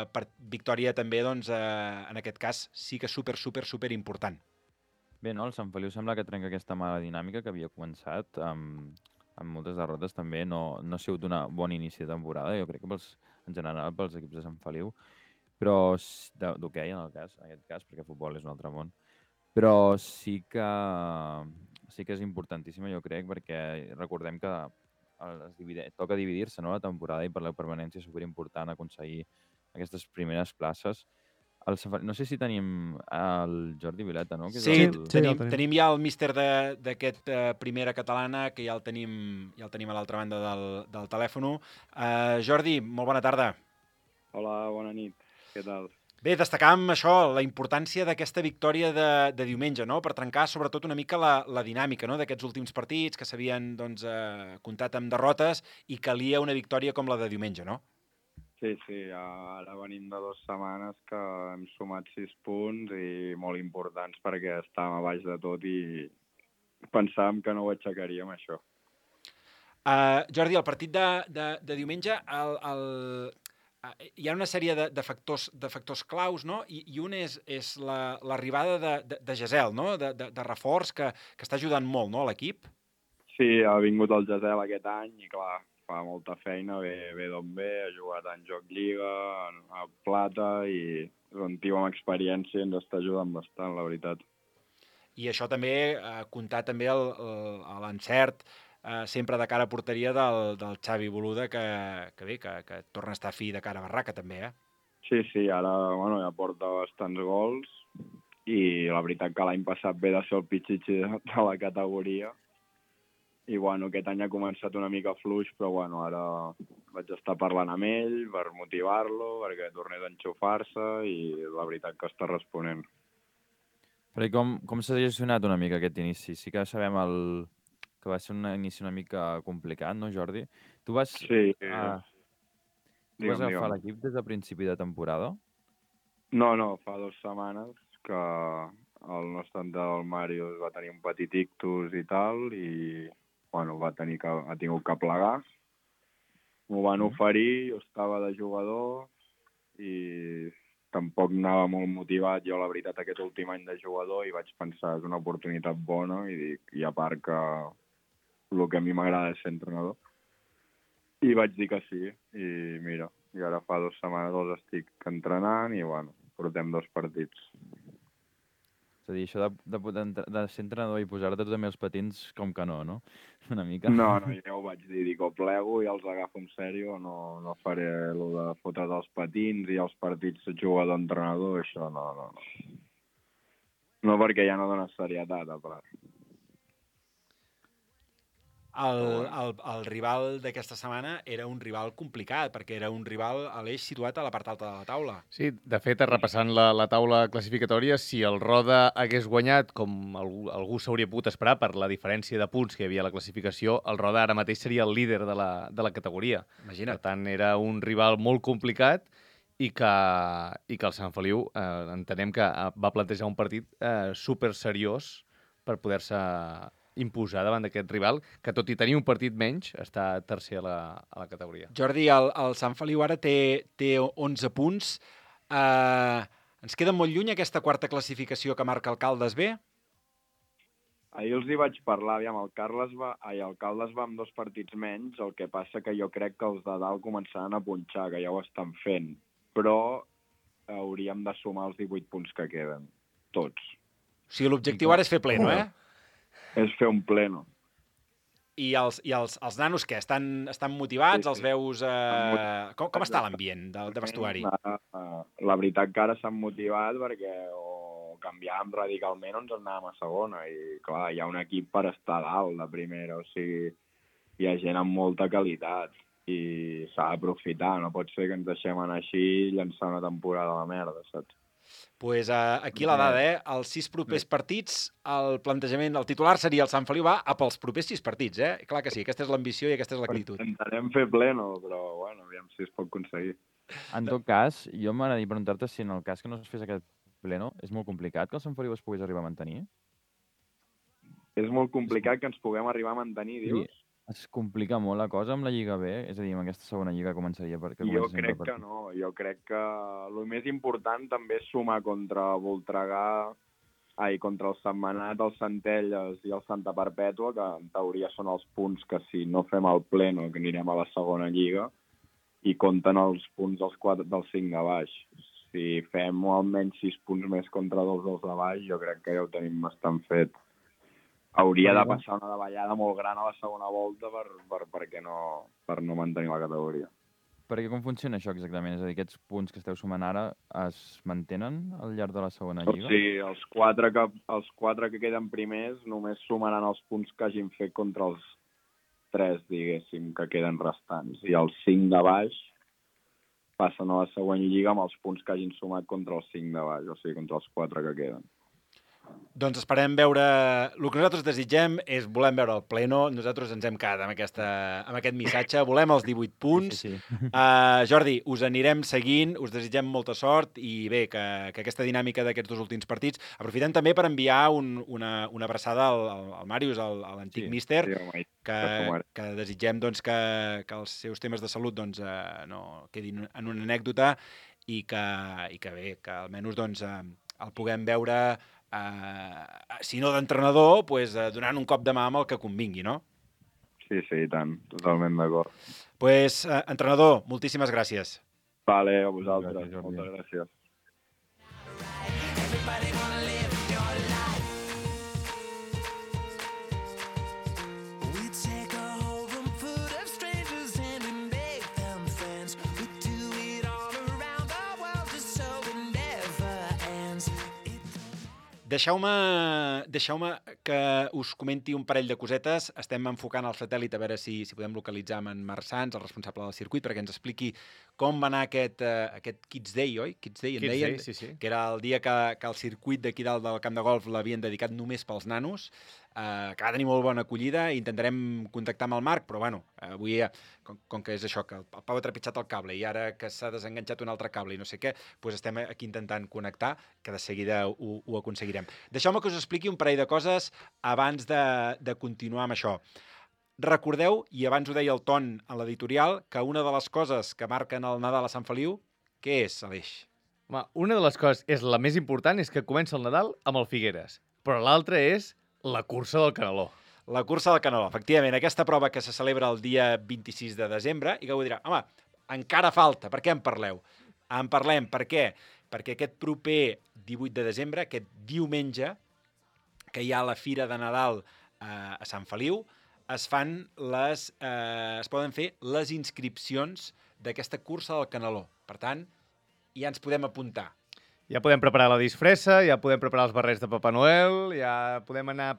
per victòria també, en aquest cas, sí que super important. Bé, no? El Sant Feliu sembla que trenca aquesta mala dinàmica que havia començat amb moltes derrotes també. No ha sigut un bon inici de temporada, jo crec que en general pels equips de Sant Feliu, però d'hoquei en aquest cas, perquè futbol és un altre món. Però sí que és importantíssima, jo crec, perquè recordem que toca dividir-se, no, la temporada, i per la permanència és superimportant aconseguir aquestes primeres places. No sé si tenim el Jordi Vileta, no? Sí, tenim ja el míster d'aquest Primera Catalana, que ja el tenim a l'altra banda del telèfon. Jordi, molt bona tarda. Hola, bona nit. Què tal? Bé, destacàvem això, la importància d'aquesta victòria de diumenge, no? Per trencar sobretot una mica la dinàmica, no? D'aquests últims partits que s'havien comptat amb derrotes, i calia una victòria com la de diumenge, no? Sí, ara venim de 2 setmanes que hem sumat 6 punts i molt importants perquè estàvem a baix de tot i pensàvem que no ho aixecaríem, això. Jordi, el partit de diumenge, hi ha una sèrie de factors claus, no? I un és l'arribada de Gesel, no? De reforç, que està ajudant molt, no, a l'equip? Sí, ha vingut el Gesel aquest any i, clar, fa molta feina, ve d'on ve, ha jugat en Joc Lliga, a Plata, i és un tio amb experiència i ens està ajudant bastant, la veritat. I això també, comptar també l'encert sempre de cara a porteria del Xavi Boluda, que torna a estar fi de cara a barraca, també, Sí, ara ja porta bastants gols, i la veritat que l'any passat ve de ser el pitxitxi de la categoria, i aquest any ha començat una mica fluix, però ara vaig estar parlant amb ell per motivar-lo, perquè tornés a enxufar-se, i la veritat que està responent. Però com s'ha gestionat una mica aquest inici? Sí que sabem que va ser un inici una mica complicat, no, Jordi? Tu vas agafar l'equip des de principi de temporada? No, fa 2 setmanes que el nostre entrenador, el Màrius, va tenir un petit ictus i tal, i bueno, ha tingut que plegar. M'ho van oferir, jo estava de jugador i tampoc anava molt motivat jo, la veritat, aquest últim any de jugador, i vaig pensar que és una oportunitat bona i a part que el que a mi m'agrada és ser entrenador. I vaig dir que sí, i mira, i ara fa 2 setmanes els estic entrenant i, bueno, portem 2 partits. És a dir, això de ser entrenador i posar-te també els patins, com que no? Una mica. No, ja ho vaig dir, dic, o plego i els agafo en sèrio, no faré el de fotre's els patins i els partits jugador-entrenador, això no. No, perquè ja no dona serietat, a part. El rival d'aquesta setmana era un rival complicat, perquè era un rival a l'eix situat a la part alta de la taula. Sí, de fet, repassant la taula classificatòria, si el Roda hagués guanyat, com algú s'hauria pogut esperar per la diferència de punts que hi havia a la classificació, el Roda ara mateix seria el líder de la categoria. Imagina't. Per tant, era un rival molt complicat i que el Sant Feliu entenem que va plantejar un partit super seriós per poder-se imposar davant d'aquest rival, que tot i tenir un partit menys, està tercer a la categoria. Jordi, el Sant Feliu ara té 11 punts. Ens queda molt lluny aquesta quarta classificació que marca el Caldes B? Ahir els hi vaig parlar, aviam, el Caldes va amb 2 partits menys, el que passa que jo crec que els de dalt començaran a punxar, que ja ho estan fent, però hauríem de sumar els 18 punts que queden, tots. O sigui, l'objectiu ara és fer pleno, És fer un pleno. I els nanos, què? Estan motivats? Els veus... Com està l'ambient de vestuari? La veritat que ara s'han motivat perquè o canviàvem radicalment o ens anàvem a segona. I, clar, hi ha un equip per estar dalt de primera. O sigui, hi ha gent amb molta qualitat i s'ha d'aprofitar. No pot ser que ens deixem anar així i llançar una temporada de merda, saps? Pues aquí la dada, els 6 propers partits, el plantejament, el titular seria el Sant Feliu va a pels propers 6 partits, Clar que sí, aquesta és l'ambició i aquesta és l'actitud. Intentarem fer pleno, però, bueno, aviam si es pot aconseguir. En tot cas, jo m'agradaria preguntar-te si en el cas que no es fes aquest pleno, és molt complicat que el Sant Feliu es pogués arribar a mantenir? És molt complicat que ens puguem arribar a mantenir, dius? Sí. Es complica molt la cosa amb la Lliga B? És a dir, amb aquesta segona Lliga començaria perquè jo crec que no. Jo crec que el més important també és sumar contra Voltregà, contra el Sentmenat, el Centelles i el Santa Perpètua, que en teoria són els punts que si no fem el pleno que anirem a la segona Lliga, i compten els punts dels 5 de baix. Si fem almenys 6 punts més contra 2 dels de baix, jo crec que ja ho tenim bastant fet. Hauria de passar una davallada molt gran a la segona volta per no mantenir la categoria. Perquè com funciona això exactament? És a dir, aquests punts que esteu sumant ara es mantenen al llarg de la segona Lliga? O sigui, els 4 que queden primers només sumaran els punts que hagin fet contra els 3, diguéssim, que queden restants. I els 5 de baix passen a la següent Lliga amb els punts que hagin sumat contra els 5 de baix, o sigui, contra els 4 que queden. Doncs esperem veure... El que nosaltres desitgem és volem veure el pleno. Nosaltres ens hem quedat amb aquest missatge. Volem els 18 punts. Sí. Jordi, us anirem seguint, us desitgem molta sort i bé, que aquesta dinàmica d'aquests 2 últims partits... Aprofitem també per enviar una abraçada al Màrius, a l'antic míster, que desitgem doncs, que els seus temes de salut doncs, no quedin en una anècdota i que bé, que almenys doncs, el puguem veure... si no d'entrenador, pues, donant un cop de mà amb el que convingui, no? Sí, i tant, totalment d'acord. Pues, entrenador, moltíssimes gràcies. Vale, a vosaltres, moltes gràcies. Deixeu-me que us comenti un parell de cosetes. Estem enfocant el satèl·lit a veure si podem localitzar amb en Marc Sans, el responsable del circuit, perquè ens expliqui com va anar aquest Kids Day, oi? Kids Day, en deien? Sí. Que era el dia que el circuit d'aquí dalt del camp de golf l'havien dedicat només pels nanos, que va tenir molt bona acollida, i intentarem contactar amb el Marc, però bueno, avui, com que és això, que el Pau ha trepitjat el cable i ara que s'ha desenganxat un altre cable i no sé què, doncs estem aquí intentant connectar, que de seguida ho aconseguirem. Deixeu-me que us expliqui un parell de coses abans de continuar amb això. recordeu, i abans ho deia el Ton a l'editorial, que una de les coses que marquen el Nadal a Sant Feliu, què és, Aleix? Home, una de les coses, la més important, és que comença el Nadal amb el Figueres, però l'altra és la cursa del Caneló. La cursa del Caneló, efectivament, aquesta prova que se celebra el dia 26 de desembre, i que ho dirà, home, encara falta, per què en parleu? En parlem, per què? Perquè aquest proper 18 de desembre, aquest diumenge, que hi ha la Fira de Nadal a Sant Feliu, es poden fer les inscripcions d'aquesta cursa del Caneló. Per tant, ja ens podem apuntar. Ja podem preparar la disfressa, ja podem preparar els barrets de Papa Noel, ja podem anar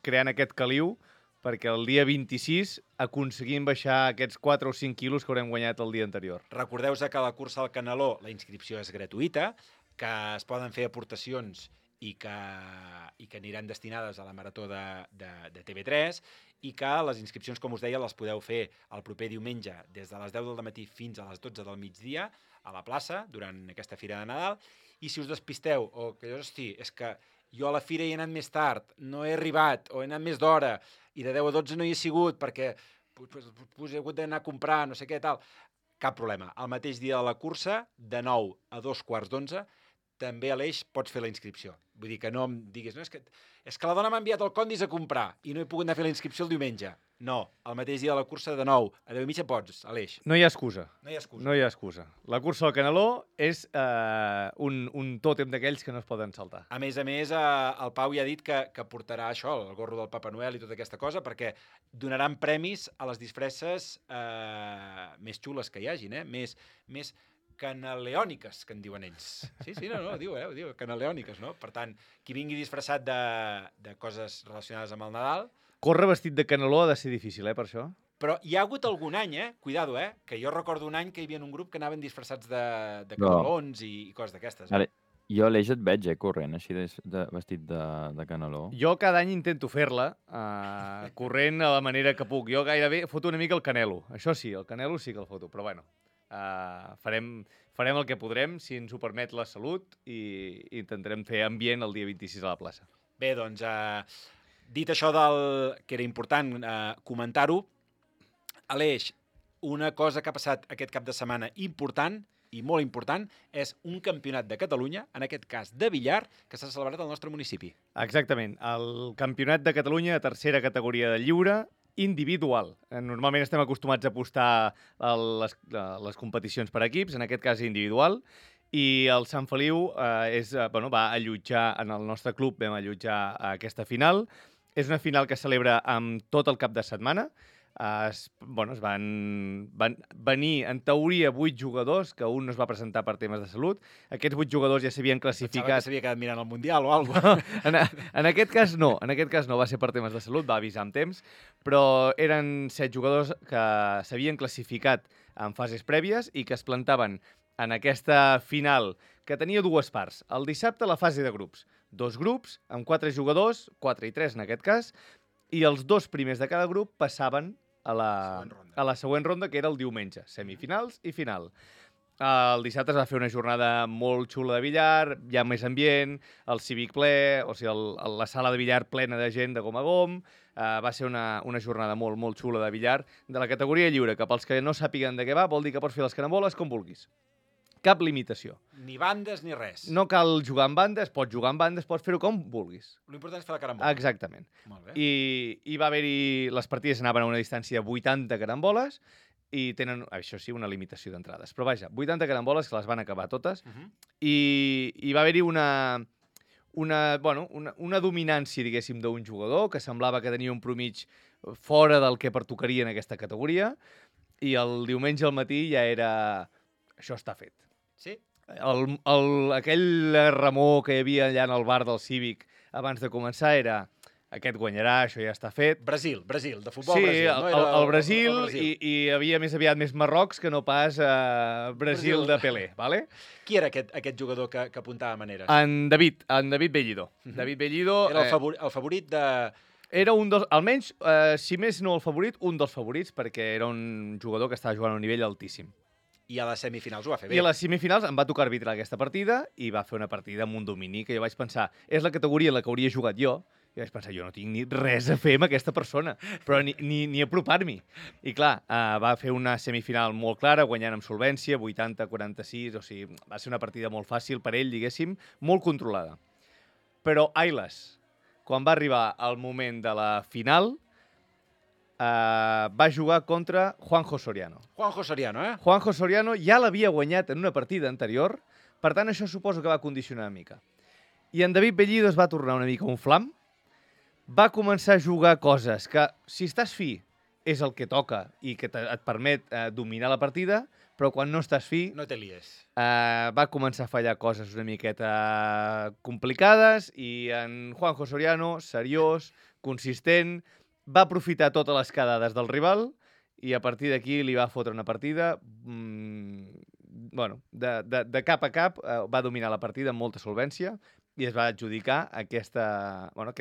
creant aquest caliu perquè el dia 26 aconseguim baixar aquests 4 o 5 quilos que haurem guanyat el dia anterior. Recordeu-vos que a la cursa del Caneló la inscripció és gratuïta, que es poden fer aportacions i que aniran destinades a la Marató de TV3 i que les inscripcions, com us deia, les podeu fer el proper diumenge des de les 10 del matí fins a les 12 del migdia a la plaça durant aquesta Fira de Nadal. I si us despisteu o que hosti, és que jo a la Fira hi he anat més tard, no he arribat o he anat més d'hora i de 10 a 12 no hi he sigut perquè he hagut d'anar a comprar, no sé què, tal, cap problema. El mateix dia de la cursa, de 9 a 2:15, també a l'Eix pots fer la inscripció. Vull dir que no em diguis, no, és que la dona m'ha enviat el Condis a comprar i no he pogut anar a fer la inscripció el diumenge. No, el mateix dia de la cursa de 9 a 10:30 pots, a l'Eix. No hi ha excusa. No hi ha excusa. No hi ha excusa. La cursa del Caneló és un tòtem d'aquells que no es poden saltar. A més, el Pau ja ha dit que portarà això, el gorro del Papa Noel i tota aquesta cosa, perquè donaran premis a les disfresses més xules que hi hagin, més canaleòniques, que en diuen ells. Sí, no, diu, canaleòniques, no? Per tant, qui vingui disfressat de coses relacionades amb el Nadal... Córrer vestit de caneló ha de ser difícil, per això. Però hi ha hagut algun any, cuidado, que jo recordo un any que hi havia un grup que anaven disfressats de canelons i coses d'aquestes. Jo a l'Eix et veig, corrent, així vestit de caneló. Jo cada any intento fer-la, corrent a la manera que puc. Jo gairebé foto una mica el canelo. Això sí, el canelo sí que el foto, però bueno, farem el que podrem, si ens ho permet la salut, i intentarem fer ambient el dia 26 a la plaça. Bé, doncs, dit això que era important comentar-ho, Aleix, una cosa que ha passat aquest cap de setmana important i molt important és un campionat de Catalunya, en aquest cas de billar, que s'ha celebrat al nostre municipi. Exactament. El campionat de Catalunya de tercera categoria de lliure individual. Normalment estem acostumats a apostar a les competicions per equips, en aquest cas individual, i el Sant Feliu va allotjar, en el nostre club vam allotjar aquesta final. És una final que es celebra amb tot el cap de setmana. Es van venir, en teoria, 8 jugadors, que un no es va presentar per temes de salut. Aquests 8 jugadors ja s'havien classificat... Pensava que s'havia quedat mirant el Mundial o alguna cosa. En aquest cas no, va ser per temes de salut, va avisar amb temps, però eren 7 jugadors que s'havien classificat en fases prèvies i que es plantaven en aquesta final, que tenia dues parts. El dissabte, la fase de grups. 2 grups, amb 4 jugadors, 4 i 3 en aquest cas, i els 2 primers de cada grup passaven a la següent ronda, que era el diumenge, semifinals i final. El dissabte es va fer una jornada molt xula de billar, hi ha més ambient, el cívic ple, o sigui, la sala de billar plena de gent de gom a gom. Va ser una jornada molt, molt xula de billar de la categoria lliure, que pels que no sàpiguen de què va, vol dir que pots fer les caramboles com vulguis. Cap limitació. Ni bandes ni res. No cal jugar en bandes, pots jugar en bandes, pots fer-ho com vulguis. L'important és fer la carambola. Exactament. Molt bé. I va haver-hi... Les partides anaven a una distància de 80 caramboles i tenen, això sí, una limitació d'entrades. Però vaja, 80 caramboles que les van acabar totes i va haver-hi una dominància, diguéssim, d'un jugador que semblava que tenia un promig fora del que pertocaria en aquesta categoria i el diumenge al matí ja era... Això està fet. Sí? Aquell remor que hi havia allà en el bar del Cívic abans de començar era aquest guanyarà, això ja està fet. Brasil, de futbol sí, Brasil. Sí, el Brasil, i hi havia més aviat més Marrocs que no pas Brasil de Pelé. Vale? Qui era aquest jugador que apuntava maneres? En David Bellido. David Bellido... Era el favorit de... Era un dels, almenys, si més no el favorit, un dels favorits, perquè era un jugador que estava jugant a un nivell altíssim. I a les semifinals ho va fer bé. I a les semifinals em va tocar arbitrar aquesta partida i va fer una partida amb un domini que jo vaig pensar, és la categoria en la que hauria jugat jo I vaig pensar, jo no tinc ni res a fer amb aquesta persona, però ni apropar-m'hi. I clar, va fer una semifinal molt clara, guanyant amb solvència, 80-46, o sigui, va ser una partida molt fàcil per ell, diguéssim, molt controlada. Però, ailes, quan va arribar el moment de la final, va jugar contra Juanjo Soriano. Juanjo Soriano, eh? Juanjo Soriano ja l'havia guanyat en una partida anterior, per tant, això suposo que va condicionar una mica. I en David Bellido es va tornar una mica un flam, va començar a jugar coses que, si estàs fi, és el que toca i que et permet dominar la partida, però quan no estàs fi... No te lies. Va començar a fallar coses una miqueta complicades i en Juanjo Soriano, seriós, consistent, va aprofitar totes les quedades del rival i a partir d'aquí li va fotre una partida... de cap a cap va dominar la partida amb molta solvència i es va adjudicar aquest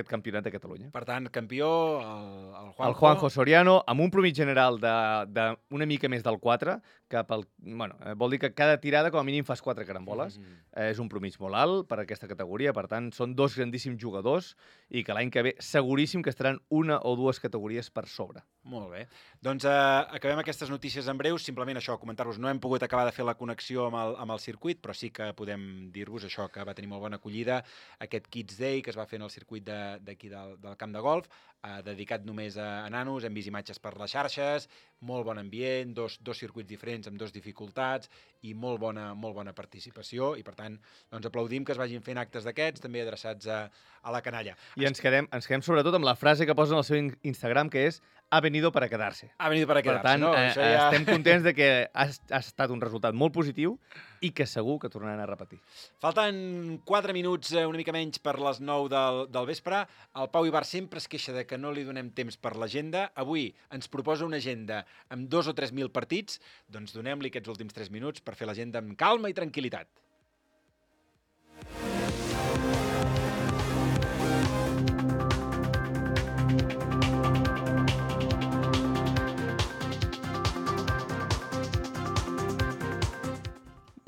campionat de Catalunya. Per tant, campió, el Juanjo... El Juanjo Soriano, amb un promig general d'una mica més del 4, vol dir que cada tirada com a mínim fas 4 caramboles. És un promig molt alt per aquesta categoria, per tant, són 2 grandíssims jugadors i que l'any que ve seguríssim que estaran 1 o 2 categories per sobre. Molt bé. Doncs acabem aquestes notícies en breus. Simplement això, comentar-vos, no hem pogut acabar de fer la connexió amb el circuit, però sí que podem dir-vos això, que va tenir molt bona acollida aquest Kids Day que es va fer en el circuit d'aquí del camp de golf, dedicat només a nanos. Hem vist imatges per les xarxes, molt bon ambient, dos circuits diferents amb 2 dificultats i molt bona participació i per tant doncs aplaudim que es vagin fent actes d'aquests també adreçats a la canalla. I ens quedem sobretot amb la frase que posen al seu Instagram, que és ha venido para quedarse. Ha venido para quedarse, per tant, no? Estem contents de que ha estat un resultat molt positiu i que segur que tornaran a repetir. Falten 4 minuts, una mica menys, per les 9 del vespre. El Pau Ibar sempre es queixa de que no li donem temps per l'agenda. Avui ens proposa una agenda amb 2 o 3.000 partits. Doncs donem-li aquests últims 3 minuts per fer l'agenda amb calma i tranquil·litat.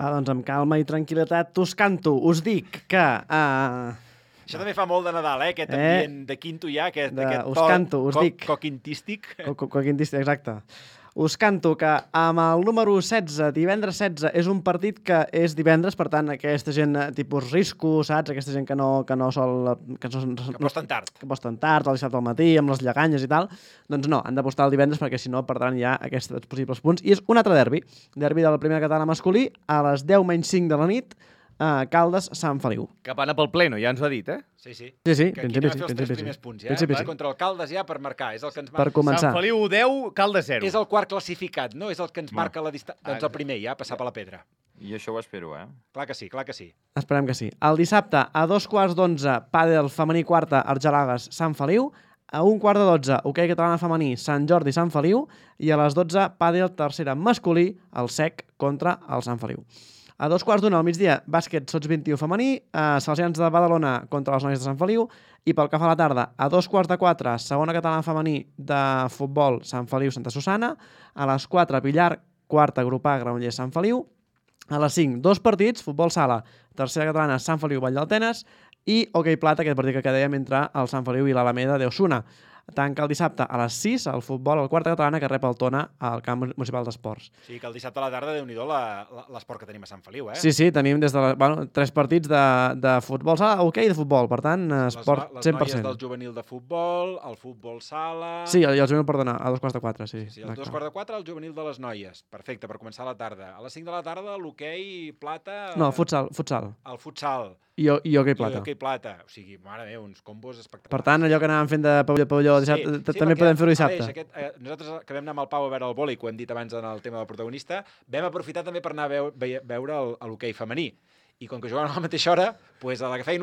Doncs amb calma i tranquil·litat us canto, us dic que... Això també fa molt de Nadal, aquest ambient de quinto ja, aquest coquintístic. Coquintístic, exacte. Us canto que amb el número 16, divendres 16, és un partit que és divendres, per tant, aquesta gent tipus risco, saps? Aquesta gent que no sol... Que posten tard. Que posten tard, al dissabte al matí, amb les lleganyes i tal. Doncs no, han d'apostar el divendres perquè si no perdran ja aquests possibles punts. I és un altre derbi de la primera catalana masculí, a les 10:05 de la nit, Caldes-Sant Feliu. Cap anar pel pleno, ja ens ho ha dit, eh? Sí. Sí, que aquí anem a fer els 3 primers punts, ja? Va contra el Caldes ja per marcar, és el que ens marca. Per començar. Sant Feliu 10, Caldes 0. És el quart classificat, no? És el que ens marca la distància. Doncs el primer ja, passar per la pedra. I això ho espero, eh? Clar que sí. Esperem que sí. El dissabte, a 2:15, pàdel femení quarta, Argelagues, Sant Feliu. A 1:15, hoquei catalana femení, Sant Jordi, Sant Feliu. I a les 12, pàdel tercera masculí, el SEC contra el Sant Feliu. A 2:15 al migdia, bàsquet Sots 21 femení, Salesians de Badalona contra les noies de Sant Feliu, i pel que fa a la tarda, a 2:15, segona catalana femení de futbol, Sant Feliu, Santa Susana, a les 4, Pillar, quarta grupà, Granollers, Sant Feliu, a les 5, 2 partits, futbol sala, tercera catalana, Sant Feliu, Vall d'Altenes, i hoquei plata, aquest partit que dèiem entre el Sant Feliu i l'Alameda d'Osuna. Tanca el dissabte a les 6, el futbol, el quarta catalana, que rep el Tona al camp municipal d'esports. Sí, que el dissabte a la tarda, Déu-n'hi-do l'esport que tenim a Sant Feliu, eh? Sí, tenim des de 3 partits de futbol sala, hoquei de futbol, per tant, esport 100%. Les noies del juvenil de futbol, el futbol sala... Sí, el juvenil, perdona, a 2:15, sí. Sí, el 2:15, el juvenil de les noies. Perfecte, per començar la tarda. A les 5 de la tarda, l'hoquei plata... No, el futsal. El futsal. I hoquei plata. I hoquei plata. O sigui, mare meva, uns combos espectaculars. Per tant, allò que anàvem fent de pavelló dissabte, també podem fer-ho dissabte. Nosaltres que vam anar amb el Pau a veure el vòlei, que ho hem dit abans en el tema del protagonista, vam aprofitar també per anar a veure l'hoquei femení. I com que jugaven a la mateixa hora, doncs a la que feien